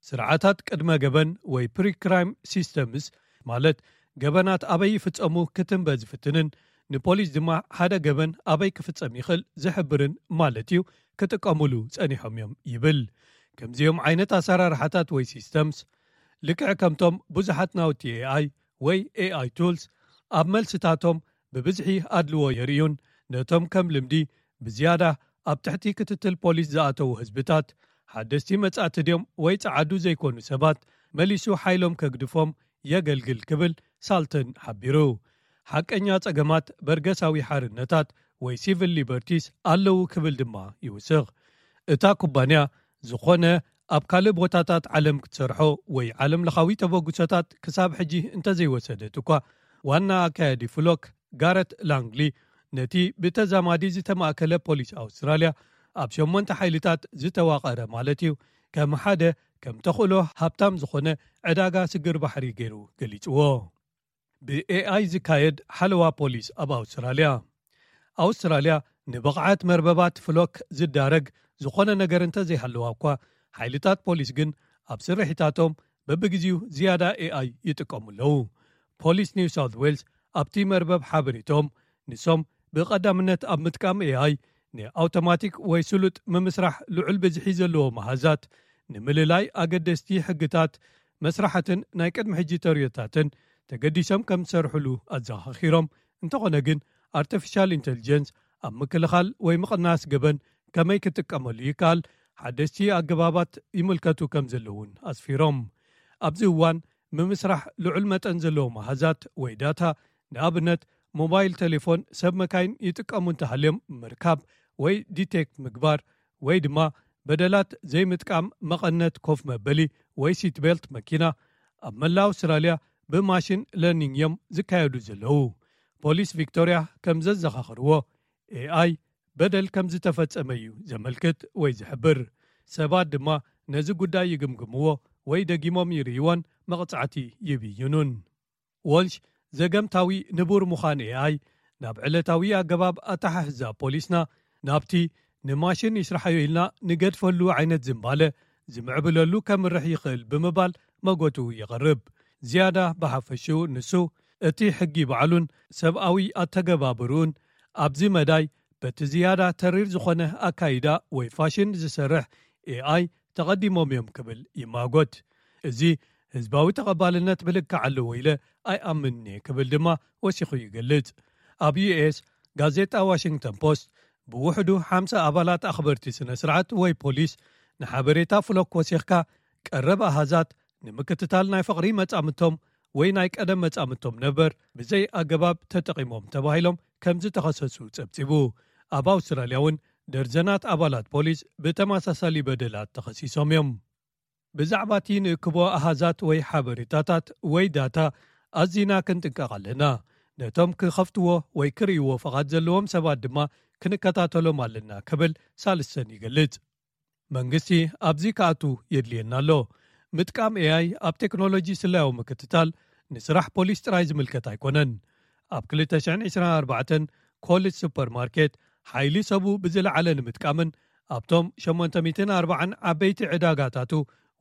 ስርዓታት ቅድመ ገበን ወይ ፕሪክራይም ሲስተምስ፣ ማለት ገበናት ኣበይ ይፍጸሙ ክትንበ ዝፍትንን ንፖሊስ ድማ ሓደ ገበን ኣበይ ክፍጸም ይኽእል ዝሕብርን ማለት እዩ፣ ክጥቀሙሉ ጸኒሖም እዮም ይብል። ከምዚኦም ዓይነት ኣሰራርሓታት ወይ ሲስተምስ፣ ልክዕ ከምቶም ብዙሓት ናውቲ ኤኣይ ወይ ኤኣይ ቱልስ ኣብ መልስታቶም ብብዝሒ ኣድልዎ የርእዩን ነቶም ከም ልምዲ ብዝያዳ ኣብ ትሕቲ ክትትል ፖሊስ ዝኣተዉ ህዝብታት ሓደስቲ መጻእቲ ድዮም ወይ ጸዓዱ ዘይኮኑ ሰባት መሊሱ ሓይሎም ከግድፎም የገልግል ክብል ሳልተን ሓቢሩ። ሓቀኛ ጸገማት በርገሳዊ ሓርነታት ወይ ሲቪል ሊበርቲስ ኣለዉ ክብል ድማ ይውስኽ። እታ ኩባንያ ዝኾነ ኣብ ካልእ ቦታታት ዓለም ክትሰርሖ ወይ ዓለም ለኻዊ ተበግሶታት ክሳብ ሕጂ እንተዘይወሰደት እኳ፣ ዋና ኣካያዲ ፍሎክ ጋረት ላንግሊ ነቲ ብተዛማዲ ዝተማእከለ ፖሊስ ኣውስትራልያ ኣብ ሸሞንተ ሓይልታት ዝተዋቐረ ማለት እዩ፣ ከም ሓደ ከም ተኽእሎ ሃብታም ዝኾነ ዕዳጋ ስግር ባሕሪ ገይሩ ገሊጽዎ። ብኤኣይ ዝካየድ ሓለዋ ፖሊስ ኣብ ኣውስትራልያ። ኣውስትራልያ ንብቕዓት መርበባት ፍሎክ ዝዳረግ ዝኾነ ነገር እንተዘይሃለዋ እኳ፣ ሓይልታት ፖሊስ ግን ኣብ ስርሒታቶም በብግዜኡ ዝያዳ ኤኣይ ይጥቀሙ ኣለዉ። ፖሊስ ኒው ሳውት ዌልስ ኣብቲ መርበብ ሓበሬቶም፣ ንሶም ብቐዳምነት ኣብ ምጥቃም ኤኣይ ንኣውቶማቲክ ወይ ስሉጥ ምምስራሕ ልዑል ብዝሒ ዘለዎ መሃዛት ንምልላይ ኣገደስቲ ሕግታት መስራሓትን ናይ ቅድሚ ሕጂ ተርእዮታትን ተገዲሶም ከም ዝሰርሕሉ ኣዘኻኺሮም፣ እንተኾነ ግን ኣርቲፊሻል ኢንተሊጀንስ ኣብ ምክልኻል ወይ ምቕናስ ገበን ከመይ ክጥቀመሉ ይከኣል ሓደስቲ ኣገባባት ይምልከቱ ከም ዘለውን ኣስፊሮም። ኣብዚ እዋን ምምስራሕ ልዑል መጠን ዘለዎ መሃዛት ወይ ዳታ፣ ንኣብነት ሞባይል ቴሌፎን ሰብ መካይን ይጥቀሙ እንተሃልዮም ምርካብ ወይ ዲቴክት ምግባር፣ ወይ ድማ በደላት ዘይምጥቃም መቐነት ኮፍ መበሊ ወይ ሲት ቤልት መኪና፣ ኣብ መላእ ኣውስትራልያ ብማሽን ለርኒንግ እዮም ዝካየዱ ዘለዉ። ፖሊስ ቪክቶርያ ከም ዘዘኻኽርዎ፣ ኤኣይ በደል ከም ዝተፈጸመ እዩ ዘመልክት ወይ ዝሕብር። ሰባት ድማ ነዚ ጉዳይ ይግምግምዎ ወይ ደጊሞም ይርእይዎን መቕጻዕቲ ይብይኑን። ወልሽ፣ ዘገምታዊ ንቡር ምዃን ኤኣይ ናብ ዕለታዊ ኣገባብ ኣተሓሕዛ ፖሊስና፣ ናብቲ ንማሽን ይስርሓዮ ኢልና ንገድፈሉ ዓይነት ዝንባለ ዝምዕብለሉ ከምርሕ ይኽእል ብምባል መጎቱ የቕርብ። ዝያዳ ብሓፈሽኡ ንሱ፣ እቲ ሕጊ ባዕሉን ሰብኣዊ ኣተገባብርኡን ኣብዚ መዳይ በቲ ዝያዳ ተሪር ዝኾነ ኣካይዳ ወይ ፋሽን ዝሰርሕ ኤኣይ ተቐዲሞም እዮም ክብል ይማጎት። እዚ ህዝባዊ ተቐባልነት ብልክዕ ኣለዎ ኢለ ኣይኣምንን እየ ክብል ድማ ወሲኹ ይገልጽ። ኣብ ዩኤስ፣ ጋዜጣ ዋሽንግተን ፖስት ብውሕዱ ሓምሳ ኣባላት ኣኽበርቲ ስነ ስርዓት ወይ ፖሊስ ንሓበሬታ ፍሎክ ወሲኽካ ቀረብ ኣሃዛት ንምክትታል ናይ ፍቕሪ መጻምቶም ወይ ናይ ቀደም መጻምቶም ነበር ብዘይ ኣገባብ ተጠቒሞም ተባሂሎም ከም ዝተኸሰሱ ጸብጺቡ። ኣብ ኣውስትራልያ እውን ደርዘናት ኣባላት ፖሊስ ብተመሳሳሊ በደላት ተኸሲሶም እዮም። ብዛዕባ እቲ ንእክቦ ኣሃዛት ወይ ሓበሬታታት ወይ ዳታ ኣዚና ክንጥንቀቕ ኣለና። ነቶም ክኸፍትዎ ወይ ክርእይዎ ፍቓድ ዘለዎም ሰባት ድማ ክንከታተሎም ኣለና ክብል ሳልሰን ይገልጽ። መንግስቲ ኣብዚ ክኣቱ የድልየና ኣሎ። ምጥቃም ኤኣይ ኣብ ቴክኖሎጂ ስለያዊ ምክትታል ንስራሕ ፖሊስ ጥራይ ዝምልከት ኣይኮነን። ኣብ ክልተ ሽሕን ዕስራን ኣርባዕተን ኮልስ ሱፐርማርኬት ሓይሊ ሰቡ ብዝለዓለ ንምጥቃምን ኣብቶም ሸሞንተ ሚእትን ኣርባዓን ዓበይቲ ዕዳጋታቱ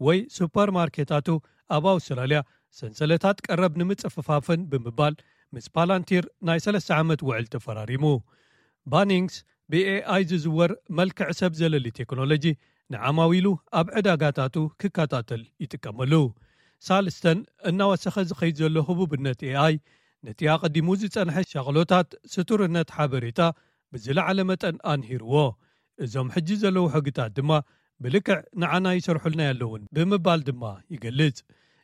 ወይ ሱፐርማርኬታቱ ኣብ ኣውስትራልያ ሰንሰለታት ቀረብ ንምጽፍፋፍን ብምባል ምስ ፓላንቲር ናይ ሰለስተ ዓመት ውዕል ተፈራሪሙ። ባኒንግስ ብኤኣይ ዝዝወር መልክዕ ሰብ ዘለሊ ቴክኖሎጂ ንዓማዊሉ ኣብ ዕዳጋታቱ ክከታተል ይጥቀመሉ። ሳልስተን እናወሰኸ ዝኸይድ ዘሎ ህቡብነት ኤኣይ ነቲ ኣቐዲሙ ዝጸንሐ ሻቕሎታት ስቱርነት ሓበሬታ ብዝለዓለ መጠን ኣንሂርዎ። እዞም ሕጂ ዘለዉ ሕግታት ድማ ብልክዕ ንዓና ይሰርሑልና ኣለውን ብምባል ድማ ይገልጽ።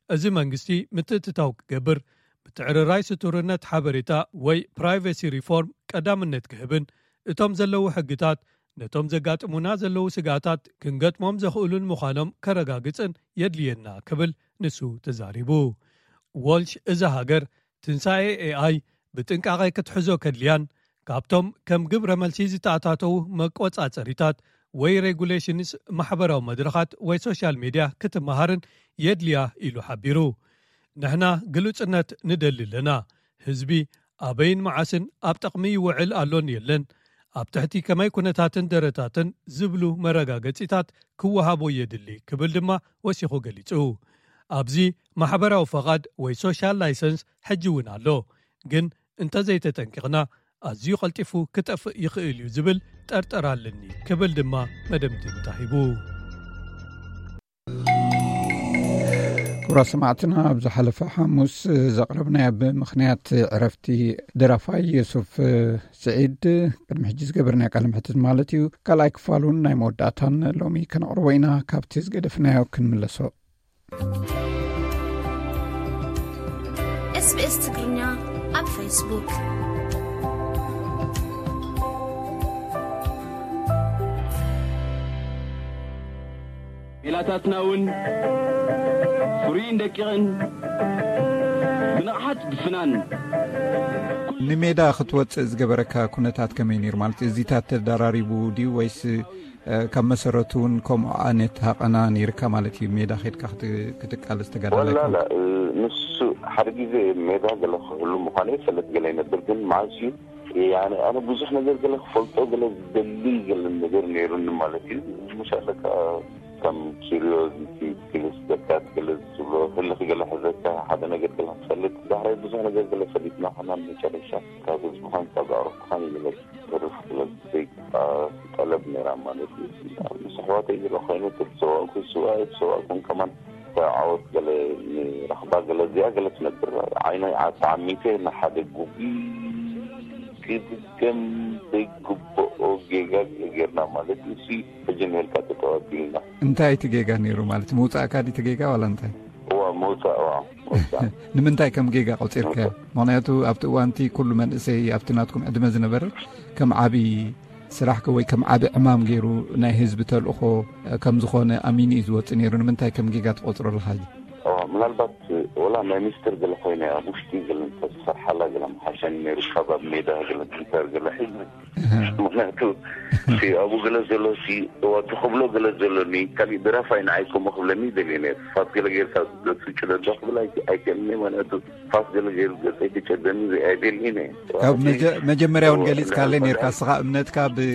እዚ መንግስቲ ምትእትታው ክገብር፣ ምትዕርራይ ስቱርነት ሓበሬታ ወይ ፕራይቬሲ ሪፎርም ቀዳምነት ክህብን እቶም ዘለዉ ሕግታት ነቶም ዘጋጥሙና ዘለዉ ስግኣታት ክንገጥሞም ዘኽእሉን ምዃኖም ከረጋግጽን የድልየና ክብል ንሱ ተዛሪቡ። ዎልሽ እዛ ሃገር ትንሳኤ ኤኣይ ብጥንቃቐ ክትሕዞ ከድልያን ካብቶም ከም ግብረ መልሲ ዝተኣታተዉ መቆጻጸሪታት ወይ ሬጉሌሽንስ ማሕበራዊ መድረኻት ወይ ሶሻል ሜድያ ክትመሃርን የድልያ ኢሉ ሓቢሩ። ንሕና ግሉጽነት ንደሊ ኣለና። ህዝቢ ኣበይን መዓስን ኣብ ጥቕሚ ይውዕል ኣሎን የለን፣ ኣብ ትሕቲ ከመይ ኩነታትን ደረታትን ዝብሉ መረጋገጺታት ክወሃቦ የድሊ ክብል ድማ ወሲኹ ገሊጹ። ኣብዚ ማሕበራዊ ፈቓድ ወይ ሶሻል ላይሰንስ ሕጂ እውን ኣሎ፣ ግን እንተዘይተጠንቂቕና ኣዝዩ ቀልጢፉ ክጠፍእ ይኽእል እዩ ዝብል ጠርጠር ኣለኒ ክብል ድማ መደምድምታ ሂቡ። ክቡራት ሰማዕትና፣ ኣብ ዝሓለፈ ሓሙስ ዘቕረብናዮ ብምኽንያት ዕረፍቲ ደራፋይ ዮሱፍ ስዒድ ቅድሚ ሕጂ ዝገበርናዮ ቃለ መሕትት ማለት እዩ፣ ካልኣይ ክፋሉን ናይ መወዳእታን ሎሚ ከነቕርቦ ኢና። ካብቲ ዝገደፍናዮ ክንምለሶ። SBS ትግርኛ ኣብ ፌስቡክ። ሜላታትና እውን ፍሩይን ደቂቕን ብንቕሓት ብፍናን። ንሜዳ ክትወፅእ ዝገበረካ ኩነታት ከመይ ነይሩ? ማለት እዚታት ተደራሪቡ ድዩ ወይስ ካብ መሰረቱ እውን ከምኡ ዓይነት ሃቐና ነይርካ ማለት እዩ? ሜዳ ከድካ ክትቃለስ ተጋዳላይ ወላላ ንሱ ሓደ ግዜ ሜዳ ገለ ክህሉ ምዃነ ይፈልጥ ገለ ይነብር፣ ግን መዓስ እዩ ኣነ ብዙሕ ነገር ገለ ክፈልጦ ገለ ዝደሊ ገለ ነገር ነይሩኒ ማለት እዩ። ምሻለካ ከም ኪሪዮዚቲ ገለ ስደካት ገለ ዝብሎ ህልኽ ገለ ሕዘካ ሓደ ነገር ገለ ክትፈልጥ ዳሕራይ ብዙሕ ነገር ገለ ፈሊጥና ኸና መጨረሻ ካብ ህዝብኻን ካብ ኣዕሩኽትኻን ገለ ተርፍ ገለ ዘይግባ ጠለብ ነይራ ማለት እዩ። ምስ ኣሕዋተይ ዝረኸይኑ ተተሰዋእኩ ስዋእ ተሰዋእኩን ከማን ዓወት ገለ ንረኽባ ገለ እዚኣ ገለ ትነብር ዓይነ ተዓሚተ ንሓደ ጉቢ ክድገም ዘይግብኦ ጌጋ ጌርና ማለት እዩ። ሕጂ ንሄልካ ተተዋቢልና። እንታይ እቲ ጌጋ ነይሩ ማለት ምውፃእካ ድቲ ጌጋ ዋላ እንታይ? እዋ ምውፃእ እዋ ምውፃእ። ንምንታይ ከም ጌጋ ቆፂርካዮ? ምክንያቱ ኣብቲ እዋንቲ ኩሉ መንእሰይ ኣብቲ ናትኩም ዕድመ ዝነበረ ከም ዓብዪ ስራሕከ ወይ ከም ዓቢ ዕማም ገይሩ ናይ ህዝቢ ተልእኾ ከም ዝኾነ ኣሚኑ እዩ ዝወጽእ ነይሩ። ንምንታይ ከም ጌጋ ትቆጽሮ ኣለኻ ሕጂ? እዋ፣ ምናልባት ወላ ናይ ሚኒስትር ገለ ኮይነ ኣብ ውሽጢ ገለ እንተዝሰርሓላ ገለ ምሓሸኒ ነይሩ፣ ካብ ኣብ ሜዳ ገለ ትንተር ገለ ሒዘ። እህ። ምኽንያቱ እቲ ኣብኡ ገለ ዘሎ እቲ እዋ፣ እቲ ክብሎ ገለ ዘሎኒ፣ ካሊእ ደራፋይ ንዓይ ከምኡ ክብለኒ ይደልየ ነይሩ። ፋስ ገለ ጌርካ ገጹ ጭደዶ ክብል ኣይ-፣ ኣይክእልኒ፣ ምኽንያቱ ፋስ ገለ ገይሩ ገጸይ ክጨደኒ ኣይደልይን እየ። ካብ መጀ-፣ መጀመርያ እውን ገሊጽካለይ ነርካ፣ ንስኻ እምነትካ ብ-፣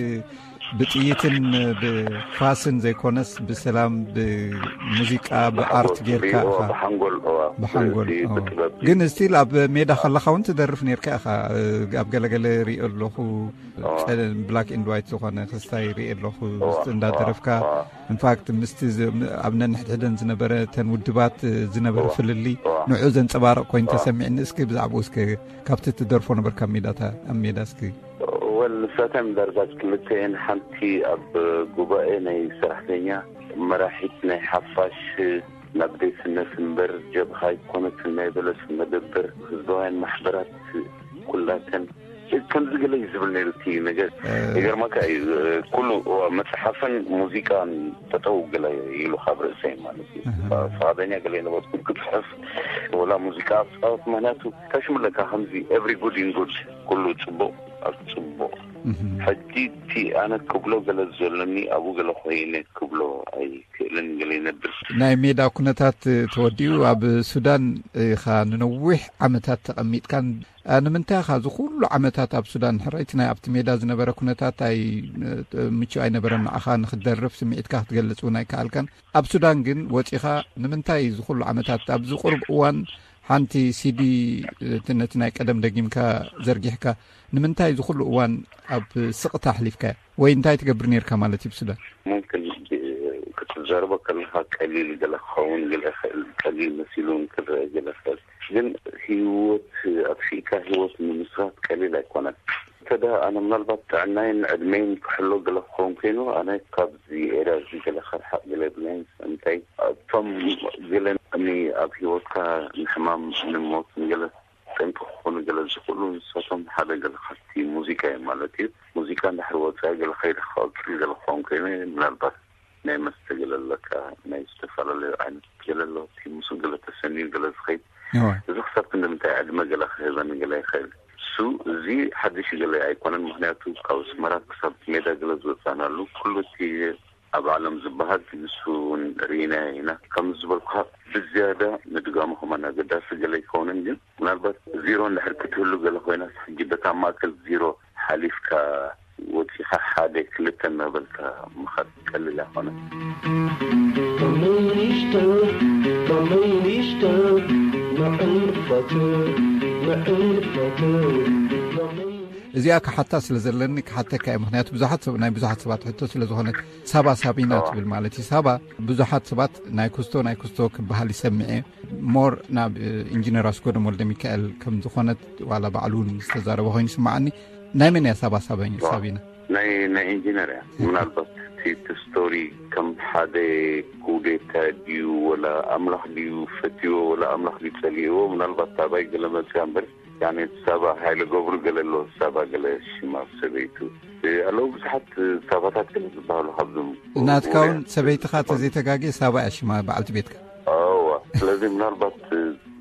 ብጥይትን ብፋስን ዘይኮነስ ብሰላም፣ ብሙዚቃ፣ ብኣርት ጌርካ ኢኻ። ብሓንጎል፣ እዋ። ብሓንጎል፣ እቲ እዋ። ብጥበብ። ግን ስቲል ኣብ ሜዳ ከለኻ እውን ትደርፍ ነርካ ኢኻ። ኣብ ገለገለ ሪኦ ኣለኹ፣ እዋ። ጸ-፣ ብላክ ኤንድ ዋይት ዝኾነ ክስታይ ሪኦ ኣለኹ፣ እዋ፣ ውስጥ እዋ፣ እንዳደረፍካ። እዋ። ኢንፋክት ምስቲ ዝ-፣ ም-፣ ኣብ ነንሕድሕደን ዝነበረ፣ ተን ውድባት፣ እ፣ ዝነበረ እዋ። ፍልልይ፣ እዋ። ንዑ ዘንጸባርቕ ኮይኑ እዋ። ተሰሚዕኒ። እስኪ ብዛዕባኡ እስኪ ካብቲ ትደርፎ ነበርካ ኣብ ሜዳታ-፣ ኣብ ሜዳ እስኪ። ወል፣ ንሳተን ዳርጋ ክልተ እየን። ሓንቲ ኣብ ጉባኤ ናይ ሰራሕተኛ፣ መራሒት ናይ ሓፋሽ፣ ናብ ዴስነት እምበር ጀብሃ ኣይኮነትን፣ ናይ በለስ መደበር፣ ህዝባውያን ማሕበራት ኩላተን ከምዚ ገለ እዩ ዝብል ነይሩ እቲ ነገር። እ። ይገርመካ እዩ፣ ኩሉ መጽሓፍን ሙዚቃን ጠጠው ገለ ኢሉ ካብ ርእሰይ ማለት እዩ። እህ። ፍቓደኛ ገለ የነበርኩ ክጽሕፍ ወላ ሙዚቃ ክጻወት፣ ምኽንያቱ ታሽሙለካ ከምዚ every good in good፣ ኩሉ ጽቡቕ ኣብ ጽቡቕ ሕጂ እቲ ኣነ ክብሎ ገለ ዘሎኒ ኣብኡ ገለ ኮይነ ክብሎ ኣይክእልን። ገለ ይነብር። ናይ ሜዳ ኩነታት ተወዲኡ ኣብ ሱዳን ኢኻ ንነዊሕ ዓመታት ተቐሚጥካን፣ ንምንታይ ኢኻ እዚ ኩሉ ዓመታት ኣብ ሱዳን? ሕራይቲ ናይ ኣብቲ ሜዳ ዝነበረ ኩነታት ኣይ ምቹእ ኣይነበረን፣ ንዓኻ ንክትደርፍ ስምዒትካ ክትገልጽ እውን ኣይከኣልካን። ኣብ ሱዳን ግን ወጺኻ ንምንታይ እዚ ኩሉ ዓመታት ኣብዚ ቁሩብ እዋን ሓንቲ ሲዲ ነቲ ናይ ቀደም ደጊምካ ዘርጊሕካ ንምንታይ እዚ ኩሉ እዋን ኣብ ስቕታ ኣሕሊፍካዮ? ወይ እንታይ ትገብር ነርካ ማለት እዩ ብሱዳን? ሙምክን ክትዛረቦ ከለካ ቀሊል ገለ ክኸውን ገለ ይኽእል፣ ቀሊል መሲሉ እውን ክረአ ገለ ይኽእል። ግን ህይወት ኣጥፊእካ ህይወት ምምስራት ቀሊል ኣይኮነን። እንተ ኣነ ምናልባት ጥዕናይን ዕድመይን ክሕሎ ገለ ክኸውን ኮይኑ ኣነ ካብዚ ኤርያ እዚ ገለ ከርሓቕ ገለ የብለይን። እንታይ እቶም ገለ ኣብ ህይወትካ ንሕማም ንሞት ንገለ ጠንቂ ክኾኑ ገለ ዝኽእሉ ንሳቶም ሓደ ገለ ካብቲ ሙዚቃ እዮም ማለት እዩ። ሙዚቃ እንድሕር ወፃኢ ገለ ከይደ ክቐፅል ገለ ክኸውን ኮይኑ ምናልባት ናይ መስተ ገለ ኣለካ፣ ናይ ዝተፈላለዩ ዓይነት ገለ ኣሎ፣ እቲ ምስኡ ገለ ተሰንዩ ገለ ዝኸይድ እዚ ክሳብ ክንዲ ምንታይ ዕድመ ገለ ክህበን ገለ ይኽእል። እሱ እዚ ሓድሽ ገለ ኣይኮነን፣ ምክንያቱ ካብ ኣስመራ ክሳብ ሜዳ ገለ ዝወፃእናሉ ኩሉ እቲ ኣብ ዓለም ዝበሃል ንሱ እውን ርኢናዮ ኢና። ከም ዝበልኩኻ ብዝያዳ ምድጋሙ ከማን ኣገዳሲ ገለ ኣይከውንን፣ ግን ምናልባት ዚሮ እንድሕር ክትህሉ ገለ ኮይና ሕጂ በታ ማእከል ዚሮ ሓሊፍካ ወፂኻ ሓደ ክልተ እናበልካ ምኻድ ቀሊል ኣይኮነን። Minister, Minister, ንዕንፈት ንዕንፈት እዚኣ ክሓታ ስለ ዘለኒ ክሓተካ እየ። ምክንያቱ ብዙሓት ሰብ ናይ ብዙሓት ሰባት ሕቶ ስለ ዝኾነት ሳባ ሳቢና ትብል ማለት እዩ። ሳባ ብዙሓት ሰባት ናይ ኩስቶ ናይ ኩስቶ ክበሃል ይሰምዕ እየ። ሞር ናብ ኢንጂነር ኣስጎደም ወልደ ሚካኤል ከም ዝኾነት ዋላ ባዕሉ እውን ዝተዛረበ ኮይኑ ይስምዓኒ። ናይ መን እያ ሳባ ሳቢና? ናይ ናይ ኢንጂነር እያ። ምናልባት እቲ እቲ ስቶሪ ከም ሓደ ኩዴታ ድዩ ወላ ኣምላኽ ድዩ ፈትዎ ወላ ኣምላኽ ድዩ ጸሊእዎ፣ ምናልባት ታባይ ገለ መጽያ እምበር። ያኔ ሳባ ሃይለ ገብሩ ገለ ኣሎ፣ ሳባ ገለ ሽማ ሰበይቱ ኣለዉ። ብዙሓት ሳባታት ገለ ዝበሃሉ ካብዞም ናትካ እውን ሰበይትኻ ተዘይተጋግየ ሳባ እያ ሽማ በዓልቲ ቤትካ። እዋ ስለዚ ምናልባት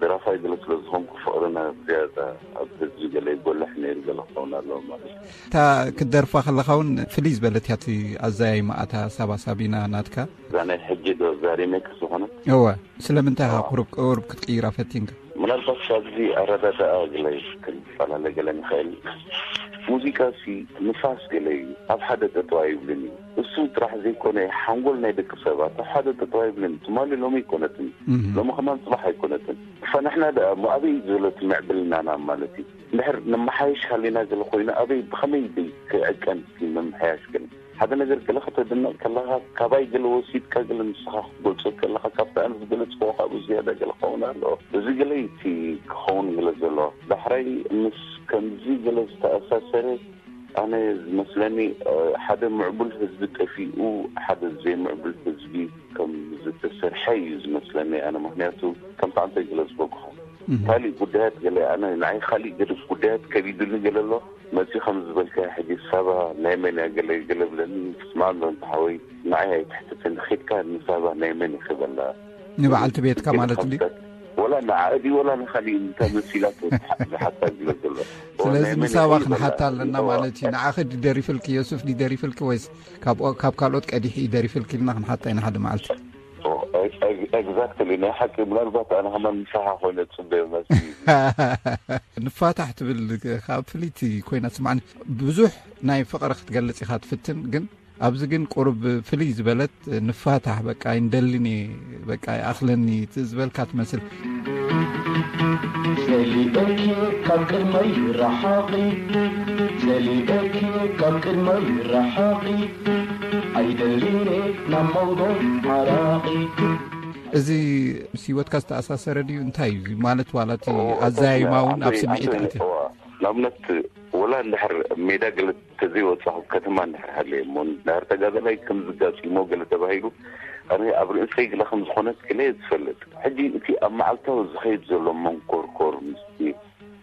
ደራፋይ ገለ ስለ ዝኾንኩ ፍቕርና ዝያዳ ኣብ ህዝቢ ገለ ይጎልሕ ነይሩ ገለ ክኸውን ኣለዎ ማለት እዩ። እታ ክትደርፋ ከለኻ እውን ፍልይ ዝበለት እያ እቲ ኣዘያይማ እታ ሳባ ሳቢና ናትካ። እዛ ናይ ሕጂ ዶ እዛ ሪሜክስ ዝኾነት? እወ። ስለምንታይ ኢኻ ቁሩብ ቁሩብ ክትቅይራ ፈቲንካ? ምናልባት ካብዚ ኣረዳድኣ ገለ ክንፈላለ ገለ ንኽእል። ሙዚቃ ሲ ንፋስ ገለ እዩ፣ ኣብ ሓደ ጠጠው ኣይብልን እዩ። እሱ ጥራሕ ዘይኮነ ሓንጎል ናይ ደቂ ሰባት ኣብ ሓደ ጠጠው ኣይብልን። ትማሊ ሎሚ ኣይኮነትን፣ ሎሚ ከማን ፅባሕ ኣይኮነትን። እፋ ንሕና ደኣ እሞ ኣበይ እዩ ዘሎ እቲ ምዕብልናና ማለት እዩ? እንድሕር ነመሓይሽ ሃሊና ገለ ኮይኑ ኣበይ ብኸመይ ድዩ ክዕቀን እቲ ምምሕያሽ ገለ? ሓደ ነገር ገለ ከተድንቕ ከለኻ ካባይ ገለ ወሲድካ ገለ ንስኻ ክትገልጾ ከለኻ ካብቲ ኣነ ዝገለጽክዎ ካብኡ ዝያዳ ገለ ክኸውን ኣለዎ። እዚ ገለ እዩ እቲ ክኸውን ገለ ዘለዎ። ዳሕራይ ምስ ከምዚ ገለ ዝተኣሳሰረ ኣነ ዝመስለኒ ሓደ ምዕቡል ህዝቢ ጠፊኡ ሓደ ዘይምዕቡል ህዝቢ ከም ዝተሰርሐ እዩ ዝመስለኒ ኣነ። ምክንያቱ ከምቲ ኣንተ ዝገለጽክዎ ካሊእ ጉዳያት ገለ ኣነ ንዓይ ካሊእ ገለ ጉዳያት ከቢዱኒ ገለ ኣሎ መፂ ከም ዝበልካ ሕጂ ሳባ ናይ መን እያ ገለ ገለ ብለኒ ስማዕ እንዶ እንተ ሓወይ ንዓይ ኣይትሕትትን ኺድካ ንሳባ ናይ መን እዩ ክበላ ንበዓልቲ ቤትካ ማለት እንዲ ወላ ንዓኣ ድዩ ወላ ንኻሊእ እንታይ መሲላቶ ዝሓታ ዝብለ ዘሎ ስለዚ ንሳባ ክንሓታ ኣለና ማለት እዩ ንዓኺ ድደሪፍልኪ ዮሱፍ ድደሪፍልኪ ወይስ ካብ ካልኦት ቀዲሑ እዩ ደሪፍልኪ ኢልና ክንሓታ ኢና ሓደ መዓልቲ ኤግዛክትሊ ናይ ሓቂ ምናልባት ኣነ ከማን ምሳኻ ኮይነ ፅበዮ መሲ ንፋታሕ ትብል ካብ ፍልይቲ ኮይና ትስማዕኒ ብዙሕ ናይ ፍቕሪ ክትገልፅ ኢኻ ትፍትን ግን ኣብዚ ግን ቁሩብ ፍልይ ዝበለት ንፋታሕ በቃ ይንደልን እየ በቃ ይኣኽለኒ ዝበልካ ትመስል ዘሊበኪ ካብ ቅድመይ ራሓቂ ዘሊበኪ ካብ ቅድመይ ራሓቂ ኣይደሊን እየ ናብ መንጎ ዓራቂ እዚ ምስ ህይወትካ ዝተኣሳሰረ ድዩ እንታይ እዩ ማለት ዋላ እቲ ኣዘያይማ እውን ኣብ ስምዒት ኣትዩ ንኣብነት ወላ እንድሕር ሜዳ ገለ ተዘይወፃኹ ከተማ እንድሕር ሃለየ እሞ እንድሕር ተጋዳላይ ከምዚ ጋጢሞ ገለ ተባሂሉ ኣነ ኣብ ርእሰይ ግለ ከም ዝኾነት ግለ እየ ዝፈልጥ። ሕጂ እቲ ኣብ መዓልታዊ ዝኸይድ ዘሎ መንኮርኮር ምስቲ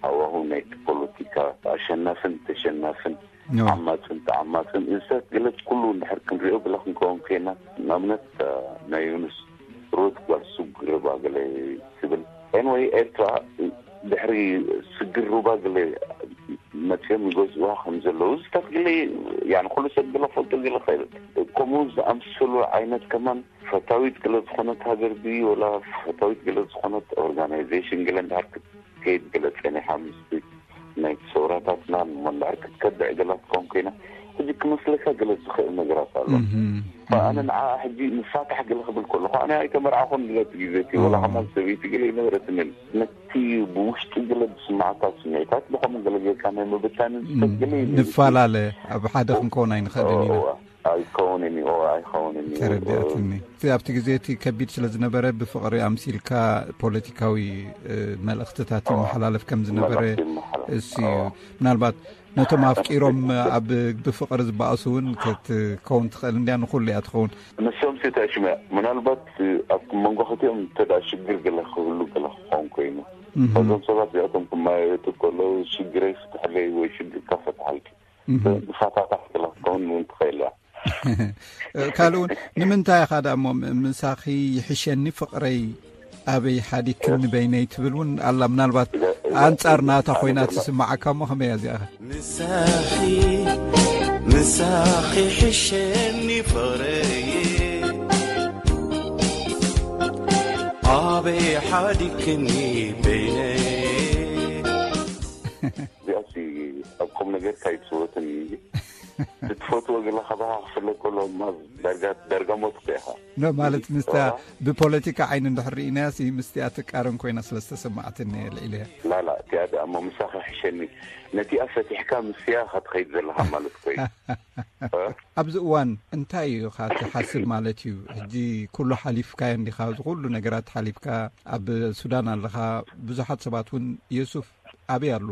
ሃዋሁ ናይቲ ፖለቲካ ኣሸናፍን ተሸናፍን ዓማፅን ተዓማፅን እዚታት ገለ ኩሉ እንድሕር ክንሪኦ ግለ ክንከውን ኮይና ንኣብነት ናይ ዮኑስ ሩት ጓል ስግር ሩባ ገለ ትብል ኤንወይ ኤርትራ ድሕሪ ስግር ሩባ ገለ መፅኦም ይገዝእዋ ከም ዘለዉ ዝታት ገለ፣ ያኒ ኩሉ ሰብ ገለ ክፈልጦ ገለ ክእል። ከምኡ ዝኣምሰሉ ዓይነት ከማን ፈታዊት ገለ ዝኾነት ሃገር ድዩ ወላ ፈታዊት ገለ ዝኾነት ኦርጋናይዜሽን ገለ እንዳር ክትከይድ ገለ ጸኒሓ ምስቲ ናይ ሰውራታትና እሞ እንዳር ክትከብዕ ገላ ትኸውን ኮይና፣ ሕጂ ክመስለካ ገለ ዝኽእል ነገራት ኣሎ። ኣነ ንዓ ሕጂ ንፋታሕ ገለ ክብል ከለኹ ኣነ ኣይተመርዓኹን ገለ እቲ ግዜ እቲ ወላ ከማን ሰበይቲ ገለ ይነበረትንን። ነቲ ብውሽጢ ገለ ዝስማዓካ ስምዒታት ብኸምኡ ገለ ጌርካ ናይ ምብታን ዝፈት ገለ እዩ። ንፈላለ ኣብ ሓደ ክንከውን ኣይንኽእልን ኢና። ኣይከውንን እዩ። ኣይኸውንን እዩ። ተረዲኣትኒ። እቲ ኣብቲ ግዜ እቲ ከቢድ ስለ ዝነበረ ብፍቕሪ ኣምሲልካ ፖለቲካዊ መልእኽትታት ይመሓላለፍ ከም ዝነበረ እሱ እዩ። ምናልባት ነቶም ኣፍቂሮም ኣብ ብፍቕሪ ዝበኣሱ እውን ክትከውን ትኽእል እንድያ። ንኹሉ እያ ትኸውን። ንሶም ሲ ተሽመ ምናልባት ኣብ መንጎ ክልቲኦም እንተ ደኣ ሽግር ገለ ክህሉ ገለ ክኸውን ኮይኑ፣ እዞም ሰባት እዚኣቶም ክመያየጡ ከለዉ ሽግረይ ፍትሕለይ ወይ ሽግርካ ፈትሓልኪ ንፋታታሕ ገለ ክትከውን እውን ትኽእል እያ። ካልእ እውን ንምንታይ ኢኻ ደኣ እሞ ም- ምሳኺ ይሕሸኒ ፍቕረይ ኣበይ ሓዲክኒ በይነይ ትብል እውን ኣላ። ምናልባት ኣንጻር ናታ ኮይና ትስምዓካ እሞ ከመይ እያ እዚኣ? ምሳኺ ምሳኺ ሕሸኒ ፍቕረይ ኣበይ ሓዲክኒ በይነይ። እዚኣሲ ኣብ ቁም ነገር ካይትስወትን እዩ። ትፈትዎ ገለ ካባኻ ክፍለጥ ከሎ እማ ዳርጋ ዳርጋ ሞት እኮ ኢኻ። ኖ ማለት ምስታ ብፖለቲካ ዓይኒ እንድሕር ርኢናያ ሲ ምስቲኣ ትቃረን ኮይና ስለ ዝተሰማዓትኒ እየ ልዒለያ። ላላ እቲኣ ደኣ እሞ ምሳኻ ሕሸኒ ነቲኣ ፈቲሕካ ምስያ ኢኻ ትኸይድ ዘለኻ ማለት እኮ እዩ። ኣብዚ እዋን እንታይ እዩ ኢኻ ትሓስብ ማለት እዩ? ሕጂ ኩሉ ሓሊፍካዮ እንዲኻ፣ እዚ ኩሉ ነገራት ሓሊፍካ ኣብ ሱዳን ኣለኻ። ብዙሓት ሰባት እውን የሱፍ ኣበይ ኣሎ?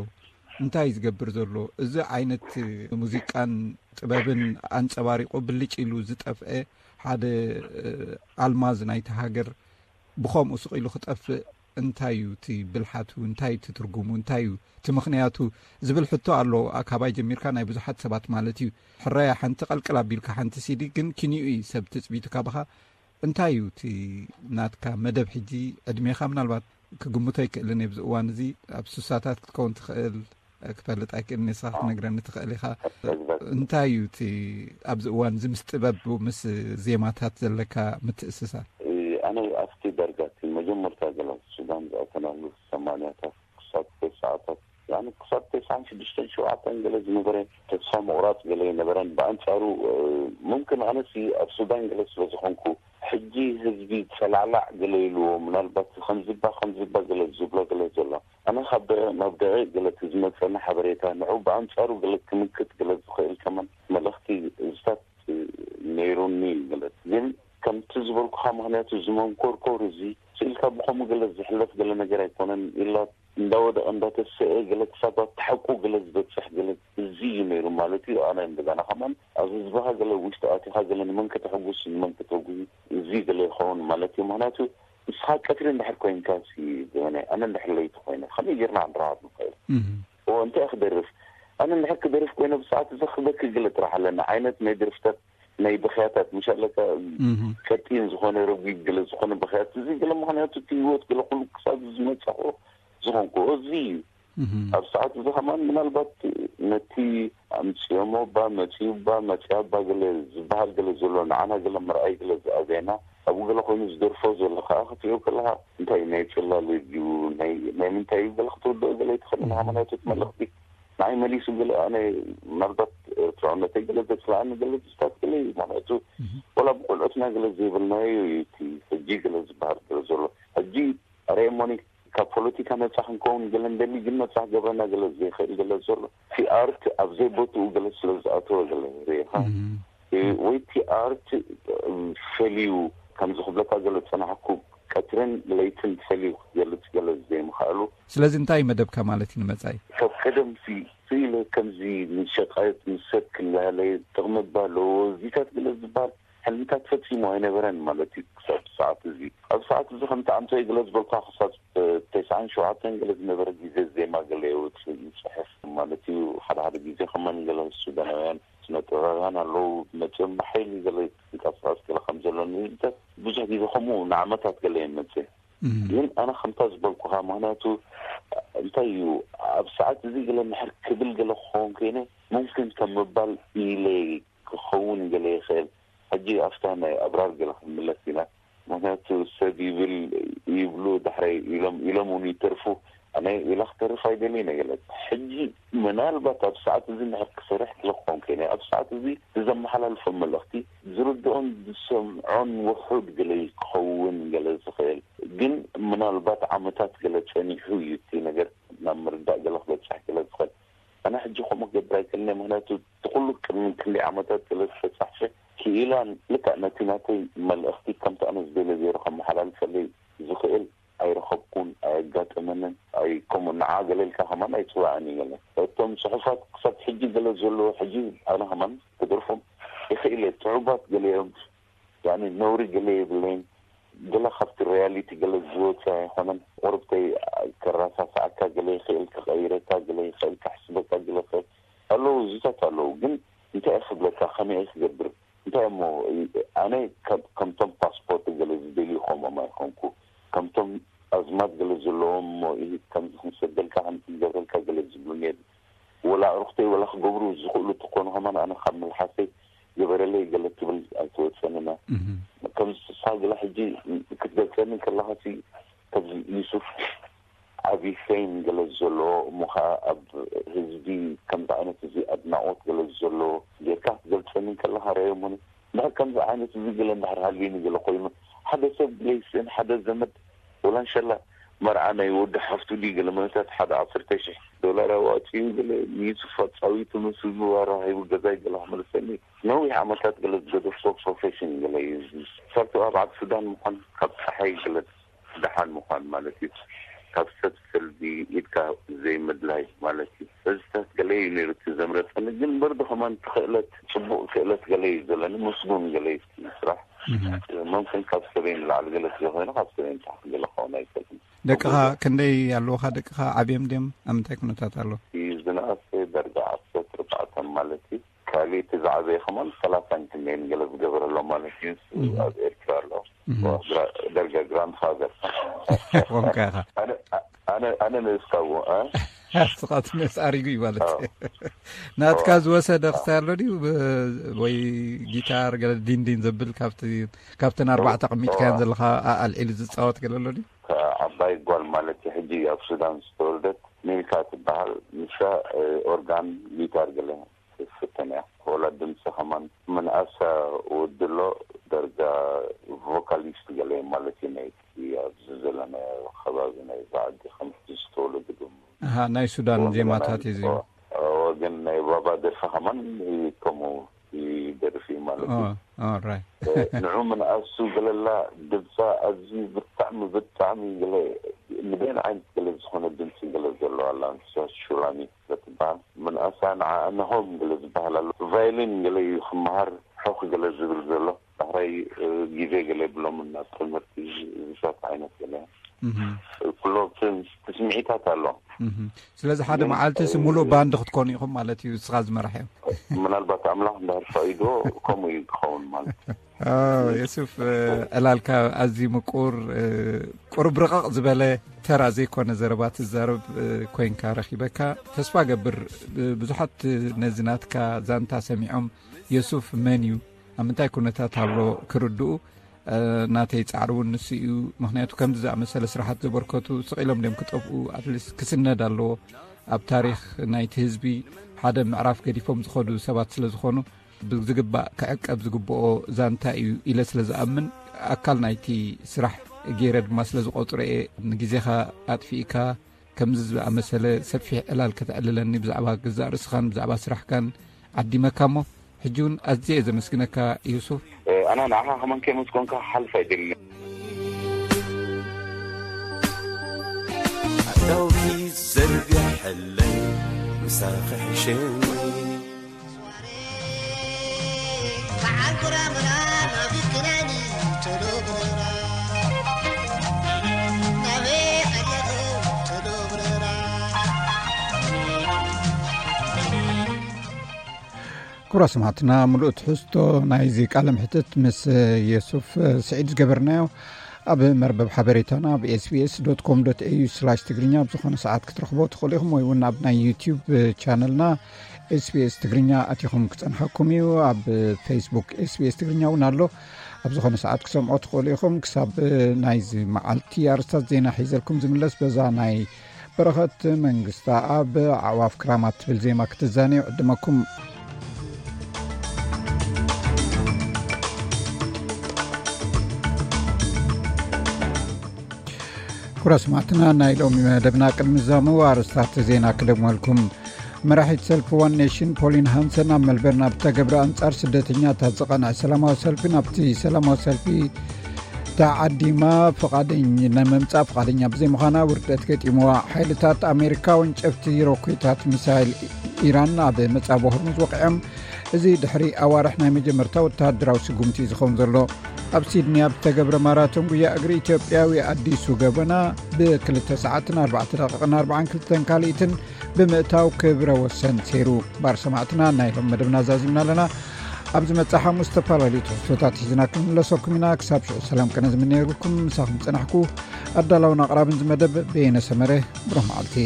እንታይ እዩ ዝገብር ዘሎ? እዚ ዓይነት ሙዚቃን ጥበብን ኣንጸባሪቑ ብልጭ ኢሉ ዝጠፍአ ሓደ ኣልማዝ ናይቲ ሃገር ብኸምኡ ስቕ ኢሉ ክጠፍእ እንታይ እዩ እቲ ብልሓቱ? እንታይ እዩ እቲ ትርጉሙ? እንታይ እዩ እቲ ምኽንያቱ? ዝብል ሕቶ ኣሎ። ካባይ ጀሚርካ ናይ ብዙሓት ሰባት ማለት እዩ። ሕራያ ሓንቲ ቀልቅል ኣቢልካ ሓንቲ ሲዲ ግን ኪንኡ እዩ ሰብ ትጽቢቱ ካባኻ። እንታይ እዩ እቲ ናትካ መደብ? ሕጂ ዕድሜኻ ምናልባት ክግምቶ ኣይክእልን እየ። ኣብዚ እዋን እዚ ኣብ ሱሳታት ክትከውን ትኽእል፣ ክፈልጥ ኣይክእልን እየ፣ ንስኻ ክትነግረኒ ትኽእል ኢኻ። እንታይ እዩ እቲ ኣብዚ እዋን እዚ ምስ ጥበብ ምስ ዜማታት ዘለካ ምትእስሳር? ኣነ ኣብቲ ዳርጋ እቲ መጀመርታ ገለ ሱዳን ዝኣተናሉ ሰማንያታት ክሳብ ተስዓታት፣ ያኒ ክሳብ ተስዓን ሽዱሽተን ሸውዓተን ገለ ዝነበረ ተስፋ ምቑራጽ ገለ ኣይነበረን። ብኣንጻሩ፣ እ፣ ሙምክን ኣነሲ ኣብ ሱዳን ገለ ስለ ዝኾንኩ፣ ሕጂ ህዝቢ ጸላዕላዕ ገለ ኢልዎ፣ ምናልባት ከምዚባ ከምዚባ ገለ ዝብሎ ገለ ዘሎ። ኣነ ካብ ደቂቕ ናብ ደቂቕ ገለ እቲ ዝመጸኒ ሓበሬታ፣ ንዑ ብኣንጻሩ ገለ ክምክት ገለ ዝኽእል ከማን መልእኽቲ እዝታት ነይሩኒ ገለ። ግን ከምቲ ዝበልኩኻ፣ ምኽንያቱ እዚ መንኮርኮር እዚ ስኢልካ ብኸምኡ ገለ ዝሕለፍ ገለ ነገር ኣይኮነን። ኢላ እንዳወደቐ እንዳተሰአ ገለ ክሳብ ኣብቲ ሓቁ ገለ ዝበጽሕ ገለ እዚ እዩ ነይሩ ማለት እዩ። ኣነ እንደገና ከማን ኣብ ህዝብኻ ገለ ውሽጢ ኣቲኻ ገለ ንመን ከተሐጉስ ንመን ከተጉሂ እዚ ገለ ይኸውን ማለት እዩ። ምኽንያቱ ንስኻ ቀትሪ እንድሕር ኮይንካ ሲ ዘበነ ኣነ እንድሕር ለይቲ ኮይነ ከመይ ጌርና ክንረኻብ ንኽእል? እዎ እንታይ ክደርፍ? ኣነ እንድሕር ክደርፍ ኮይነ ብሰዓት እዚ ክበኪ ገለ ጥራሕ ኣለና ዓይነት ናይ ደርፍታት ናይ ብኽያታት ምሽ ኣለካ ቀጢን ዝኾነ ረጒድ ገለ ዝኾነ ብኽያት እዚ ገለ ምኽንያቱ እቲ ህይወት ገለ ኩሉ ክሳብ ዝመጻኹ ዝኾንኩ እዚ እዩ። ኣብ ሰዓት እዚ ከማን ምናልባት ነቲ ኣምፅኦሞ ባ መፅኡ ባ መፅያ ባ ገለ ዝበሃል ገለ ዘሎ ንዓና ገለ መርኣይ ገለ ዝኣበየና ኣብኡ ገለ ኮይኑ ዝደርፎ ዘሎ ከዓ ክትሪኦ ከለካ እንታይ ናይ ፅላል ድዩ ናይ ናይ ምንታይ እዩ ገለ ክትርድኦ ገለ ይትኽእል ኢና ሃይማኖት መልእኽቲ ንዓይ መሊሱ ገለ ኣነ ምናልባት ኤርትራውነተይ ገለ ዘፅላኣኒ ገለ ዝስታት ገለ እዩ ማለቱ ወላ ብቆልዑትና ገለ ዘይብልናዮ እዩ እቲ ሕጂ ገለ ዝበሃል ገለ ዘሎ ሕጂ ኣረ ሞኒ ካብ ፖለቲካ ነፃ ክንከውን ገለ እንደሊ ግን ነፃ ክገብረና ገለ ዘይኽእል ገለ ዘሎ እቲ ኣርት ኣብ ዘይቦትኡ ገለ ስለ ዝኣተወ ገለ ርኢኻ ወይ እቲ ኣርት ፈልዩ ከምዚ ክብለካ ገለ ዝፀናሕኩ ቀትርን ለይትን ፈልዩ ክትገልፅ ገለ ዘይምኽኣሉ ስለዚ እንታይ መደብካ ማለት እዩ ንመፃኢ ካብ ቀደም ሲ ስኢለ ከምዚ ንሸቃየት ንሰብ ክላለየ ጥቕሚ ባ ኣለዎ እዚታት ገለ ዝበሃል ሕልምታት ፈጺሙ ኣይነበረን ማለት እዩ ክሳብ ሰዓት እዚ ኣብ ሰዓት እዚ ከምቲ ኣምሳይ ገለ ዝበልካ ክሳብ ተስዓን ሸውዓተን ገለ ዝነበረ ግዜ ዜማ ገለ የውፅእ ይፅሕፍ ማለት እዩ ሓደ ሓደ ግዜ ከማን ገለ ሱዳናውያን ስነ ጥበባውያን ኣለዉ መፅኦም ብሓይሊ ገለ ይንቀሳቀስ ገለ ከም ዘሎ ንህዝብታት ብዙሕ ግዜ ከምኡ ንዓመታት ገለ የመፅእ ግን ኣነ ከምታ ዝበልኩኻ ምክንያቱ እንታይ እዩ ኣብ ሰዓት እዚ ገለ ምሕር ክብል ገለ ክኸውን ኮይነ፣ ሙምክን ከም ምባል ኢለ ክኸውን ገለ ይኽእል። ሕጂ ኣብታ ናይ ኣብራር ገለ ክንምለስ ኢና። ምክንያቱ ሰብ ይብል ይብሉ፣ ዳሕራይ ኢሎም ኢሎም እውን ይተርፉ። ኣነ ኢላ ክተርፍ ኣይደልየ ነገለት። ሕጂ ምናልባት ኣብ ሰዓት እዚ ምሕር ክሰርሕ ክለኮን ከይነ፣ ኣብ ሰዓት እዚ ዝዘመሓላልፎ መልእኽቲ ዝርድኦን ዝሰምዖን ውሑድ ገለ ክኸውን ገለ ዝኽእል፣ ግን ምናልባት ዓመታት ገለ ጸኒሑ እዩ እቲ ነገር ናብ ምርዳእ ገለ ክበጽሕ ገለ ዝኽእል። ኣነ ሕጂ ከምኡ ክገብር ኣይክእልን እየ። ምክንያቱ እቲ ኩሉ ቅድሚ ክንደይ ዓመታት ገለ ዝተጻሕፈ ክኢላን ልክዕ ነቲ ናተይ መልእኽቲ ከምቲ ኣነ ዝደልዮ ገይሩ ከመሓላልፈለይ ዝኽእል ኣይረኸብኩን፣ ኣየጋጠመንን። ኣይ ከምኡ ንዓ ገለ ኢልካ ከማን ኣይጽዋዕን እዩ ገለ። እቶም ጽሑፋት ክሳብ ሕጂ ገለ ዘለዎ ሕጂ ኣነ ከማን ክደርፎም ይኽእል እየ። ጽዑባት ገለ እዮም። ያኒ ነውሪ ገለ የብለይን። ገለ ካብቲ ሪያሊቲ ገለ ዝወፀ ኣይኮነን። ቁርብተይ ከረሳስዓካ ገለ ይኽእል፣ ክቐይረካ ገለ ይኽእል፣ ከሕስበካ ገለ ይኽእል ኣለዉ፣ እዚታት ኣለዉ። ግን እንታይ እየ ክብለካ፣ ከመይ እየ ክገብር? እንታይ እሞ ኣነ ከም- ከምቶም ፓስፖርት ገለ ዝደልዩ ከምኦም ኣይኮንኩ። ከምቶም ኣዝማድ ገለ ዘለዎም እሞ ኢሂድ ከምዚ ክንሰደልካ ከምዚ ክንገብረልካ ገለ ዝብሉኒ የለ። ወላ ኣዕሩኽተይ ወላ ክገብሩ ዝኽእሉ ተኾኑ ከማን ኣነ ካብ መልሓሰይ ግበረለይ ገለ ትብል ኣይትወፀንና። ከምዚ ስሳ ገለ ሕጂ ክትገልፀኒ ከለኻሲ ከምዚ ዩሱፍ ዓብዪ ፌም ገለ ዘለዎ እሞ ከዓ ኣብ ህዝቢ ከምዚ ዓይነት እዚ ኣድናቖት ገለ ዘለዎ ጌርካ ክትገልፀኒ ከለኻ ረኣዮሞኒ። እንድሕር ከምዚ ዓይነት እዚ ገለ እንድሕር ሃልዩኒ ገለ ኮይኑ ሓደ ሰብ ገለ ይስእን ሓደ ዘመድ ወላ እንሸላ መርዓ ናይ ወዲ ሓፍቱ ድዩ ገለ መለታት ሓደ ዓሰርተ ሽሕ ዶላር ኣዋፂኡ ገለ ንዩሱፍ ኣፃዊቱ ምስ ህዝቡ ኣራኺቡ ገዛይ ገለ ክመልሰኒ ነዊሕ ዓመታት ገለ ዝገደፍቶ ፕሮፌሽን ገለ እዩ። ሰርቶ ኣብ ዓዲ ሱዳን ምዃን ካብ ፀሓይ ገለ ደሓን ምዃን ማለት እዩ። ካብ ሰብ ሰልቢ ኢድካ ዘይምድላይ ማለት እዩ። እዚታት ገለ እዩ ነይሩ እቲ ዘምረፀኒ። ግን በርዶ ከማን ክእለት ፅቡቅ ክእለት ገለ እዩ ዘለኒ። ምስጉን ገለ እዩ እቲ ስራሕ። መምክን ካብ ሰበይን ላዕሊ ገለ ስለኮይኑ ካብ ሰበይን ታሕቲ ገለ ክኸውን ኣይክእልን። ደቅኻ ክንደይ ኣለውኻ? ደቅኻ ዓብዮም ድዮም? ኣብ ምንታይ ኩነታት ኣሎ? እዩ ዝነኣሰ ደረጃ ዓሰርተ ኣርባዕተ ማለት እዩ። ካልእ እቲ ዝዓበየ ከማን ሰላሳን ክንደይን ገለ ዝገበረሎ ማለት እዩ። እሱ ኣብ ኤርትራ ኣሎ። ደርጋ ግራንድፋዘር። ቆምካ ኢኻ። ኣነ ኣነ ኣነ ንእስካዎ እ? ስኻት ነስ ኣሪጉ እዩ ማለት እዩ። ናትካ ዝወሰደ ክስታይ ኣሎ ድዩ? ብ- ወይ ጊታር ገለ ዲንዲን ዘብል ካብቲ ካብተን ኣርባዕተ ቅሚጥካያን ዘለኻ ኣልዒሉ ዝፃወት ገለ ኣሎ ድዩ? ዓባይ ጓል ማለት እዩ ሕጂ ኣብ ሱዳን ዝተወልደት ሚልካ ትበሃል። ንሳ ኦርጋን ጊታር ገለ ትፍትን እያ። ወላ ድምፂ ከማን ምንኣሳ ወድሎ ደርጋ ቮካሊስት ገለ ማለት እዩ። ናይ ኣብዚ ዘለናዮ ከባቢ ናይ ዛዓዲ ከምቲ ዝተወለዱ ዶ ኣሃ ናይ ሱዳን ዜማታት እዩ ዜማ። ግን ናይ ባባ ደርፊ ከማን ከምኡ ይደርፍ እዩ ማለት እዩ። ንዑ ምንኣሱ ገለላ ድምፃ ኣዝዩ ብጣዕሚ ብጣዕሚ ገለ ንበይን ዓይነት ገለ ዝኾነ ድምፂ ገለ ዘለዋ ኣላ። ንሳ ሹላሚ ትበሃል። ምንኣሳ ንዓ እንሆም ገለ ዝበሃል ኣሎ። ቫይሊን ገለ እዩ ክመሃር ሑኽ ገለ ዝብል ዘሎ። ዳሕራይ ግዜ ገለ የብሎምን ናብ ትምህርቲ ዝሳት ዓይነት ገለ ኩሎ ትስምዒታት ኣሎ። ስለዚ ሓደ መዓልቲ ሲ ሙሉእ ባንድ ክትኮኑ ኢኹም ማለት እዩ። እስኻ ዝመራሕ እዮም። ምናልባት ኣምላኽ እንድሕር ፈቒድዎ ከምኡ እዩ ክኸውን ማለት። የሱፍ፣ ዕላልካ ኣዝዩ ምቁር፣ ቁሩብ ርቕቕ ዝበለ ተራ ዘይኮነ ዘረባ ትዛረብ ኮይንካ ረኺበካ። ተስፋ ገብር ብዙሓት ነዚ ናትካ ዛንታ ሰሚዖም የሱፍ መን እዩ፣ ኣብ ምንታይ ኩነታት ኣሎ ክርድኡ ናተይ ጻዕሪ እውን ንሱ እዩ። ምክንያቱ ከምዚ ዝኣመሰለ ስራሓት ዘበርከቱ ስቕ ኢሎም ድዮም ክጠፍኡ? ኣትሊስት ክስነድ ኣለዎ። ኣብ ታሪክ ናይቲ ህዝቢ ሓደ ምዕራፍ ገዲፎም ዝኸዱ ሰባት ስለ ዝኾኑ ብዝግባእ ክዕቀብ ዝግብኦ ዛንታ እዩ ኢለ ስለ ዝኣምን ኣካል ናይቲ ስራሕ ገይረ ድማ ስለ ዝቆጽሮ እየ። ንግዜኻ ኣጥፊእካ ከምዚ ዝኣመሰለ ሰፊሕ ዕላል ከተዕልለኒ ብዛዕባ ገዛእ ርእስኻን ብዛዕባ ስራሕካን ዓዲመካ እሞ ሕጂ እውን ኣዝየ እየ ዘመስግነካ ዩሱፍ። ኣነ ንዓኻ ከማን ከየመስገንካ ክሓልፍ ኣይደልን። ኣእዳውኪ ዘርግሐለይ ምሳኺ ሕሸኒ። ክቡራት ሰማዕትና፣ ምሉእ ትሕዝቶ ናይዚ ቃለ ምሕትት ምስ የሱፍ ስዒድ ዝገበርናዮ ኣብ መርበብ ሓበሬታና ኣብ ኤስቢኤስ ዶት ኮም ዶት ኤዩ ስላሽ ትግርኛ ኣብ ዝኾነ ሰዓት ክትረኽቦ ትኽእሉ ኢኹም፣ ወይ እውን ኣብ ናይ ዩቲዩብ ቻነልና ኤስቢኤስ ትግርኛ ኣቲኹም ክጸንሐኩም እዩ። ኣብ ፌስቡክ ኤስቢኤስ ትግርኛ እውን ኣሎ። ኣብ ዝኾነ ሰዓት ክሰምዖ ትኽእሉ ኢኹም። ክሳብ ናይዚ መዓልቲ ኣርስታት ዜና ሒዘልኩም ዝምለስ፣ በዛ ናይ በረኸት መንግስታ ኣብ ኣዕዋፍ ክራማት ትብል ዜማ ክትዛነዩ ዕድመኩም። ኩራ ስማዕትና፣ ናይ ሎሚ መደብና ቅድሚ ዛሙ ኣርስታት ዜና ክደግመልኩም። መራሒት ሰልፊ ዋን ኔሽን ፖሊን ሃንሰን ኣብ መልበርን ኣብ ተገብረ ኣንጻር ስደተኛታት ዝቐንዐ ሰላማዊ ሰልፊ፣ ናብቲ ሰላማዊ ሰልፊ ተዓዲማ ፍቓደኝ-፣ ንምምጻእ ፍቓደኛ ብዘይምዃና ውርደት ገጢምዋ። ሓይልታት ኣሜሪካ ወንጨፍቲ ሮኬታት ሚሳይል ኢራን ኣብ መጻብ ሆርሙዝ ወቂዖም። እዚ ድሕሪ ኣዋርሕ ናይ መጀመርታ ወተሃደራዊ ስጉምቲ እዩ ዝኸውን ዘሎ። ኣብ ሲድኒ ኣብ ዝተገብረ ማራቶን ጉያ እግሪ ኢትዮጵያዊ ኣዲሱ ገበና ብክልተ ሰዓትን ኣርባዕተ ደቂቕን ኣርባዓን ክልተን ካልኢትን ብምእታው ክብረ ወሰን ሰይሩ። ባር ሰማዕትና፣ ናይ ሎም መደብና ዛዚምና ኣለና። ኣብ ዝመጽእ ሓሙስ ዝተፈላለዩ ትሕዝቶታት ሒዝና ክንምለሰኩም ኢና። ክሳብ ሽዑ ሰላም ቅነ ዝምነየልኩም ምሳኹም ጸናሕኩ። ኣዳላውን ኣቕራብን ዝመደብ በየነ ሰመረ። ብሩህ መዓልቲ።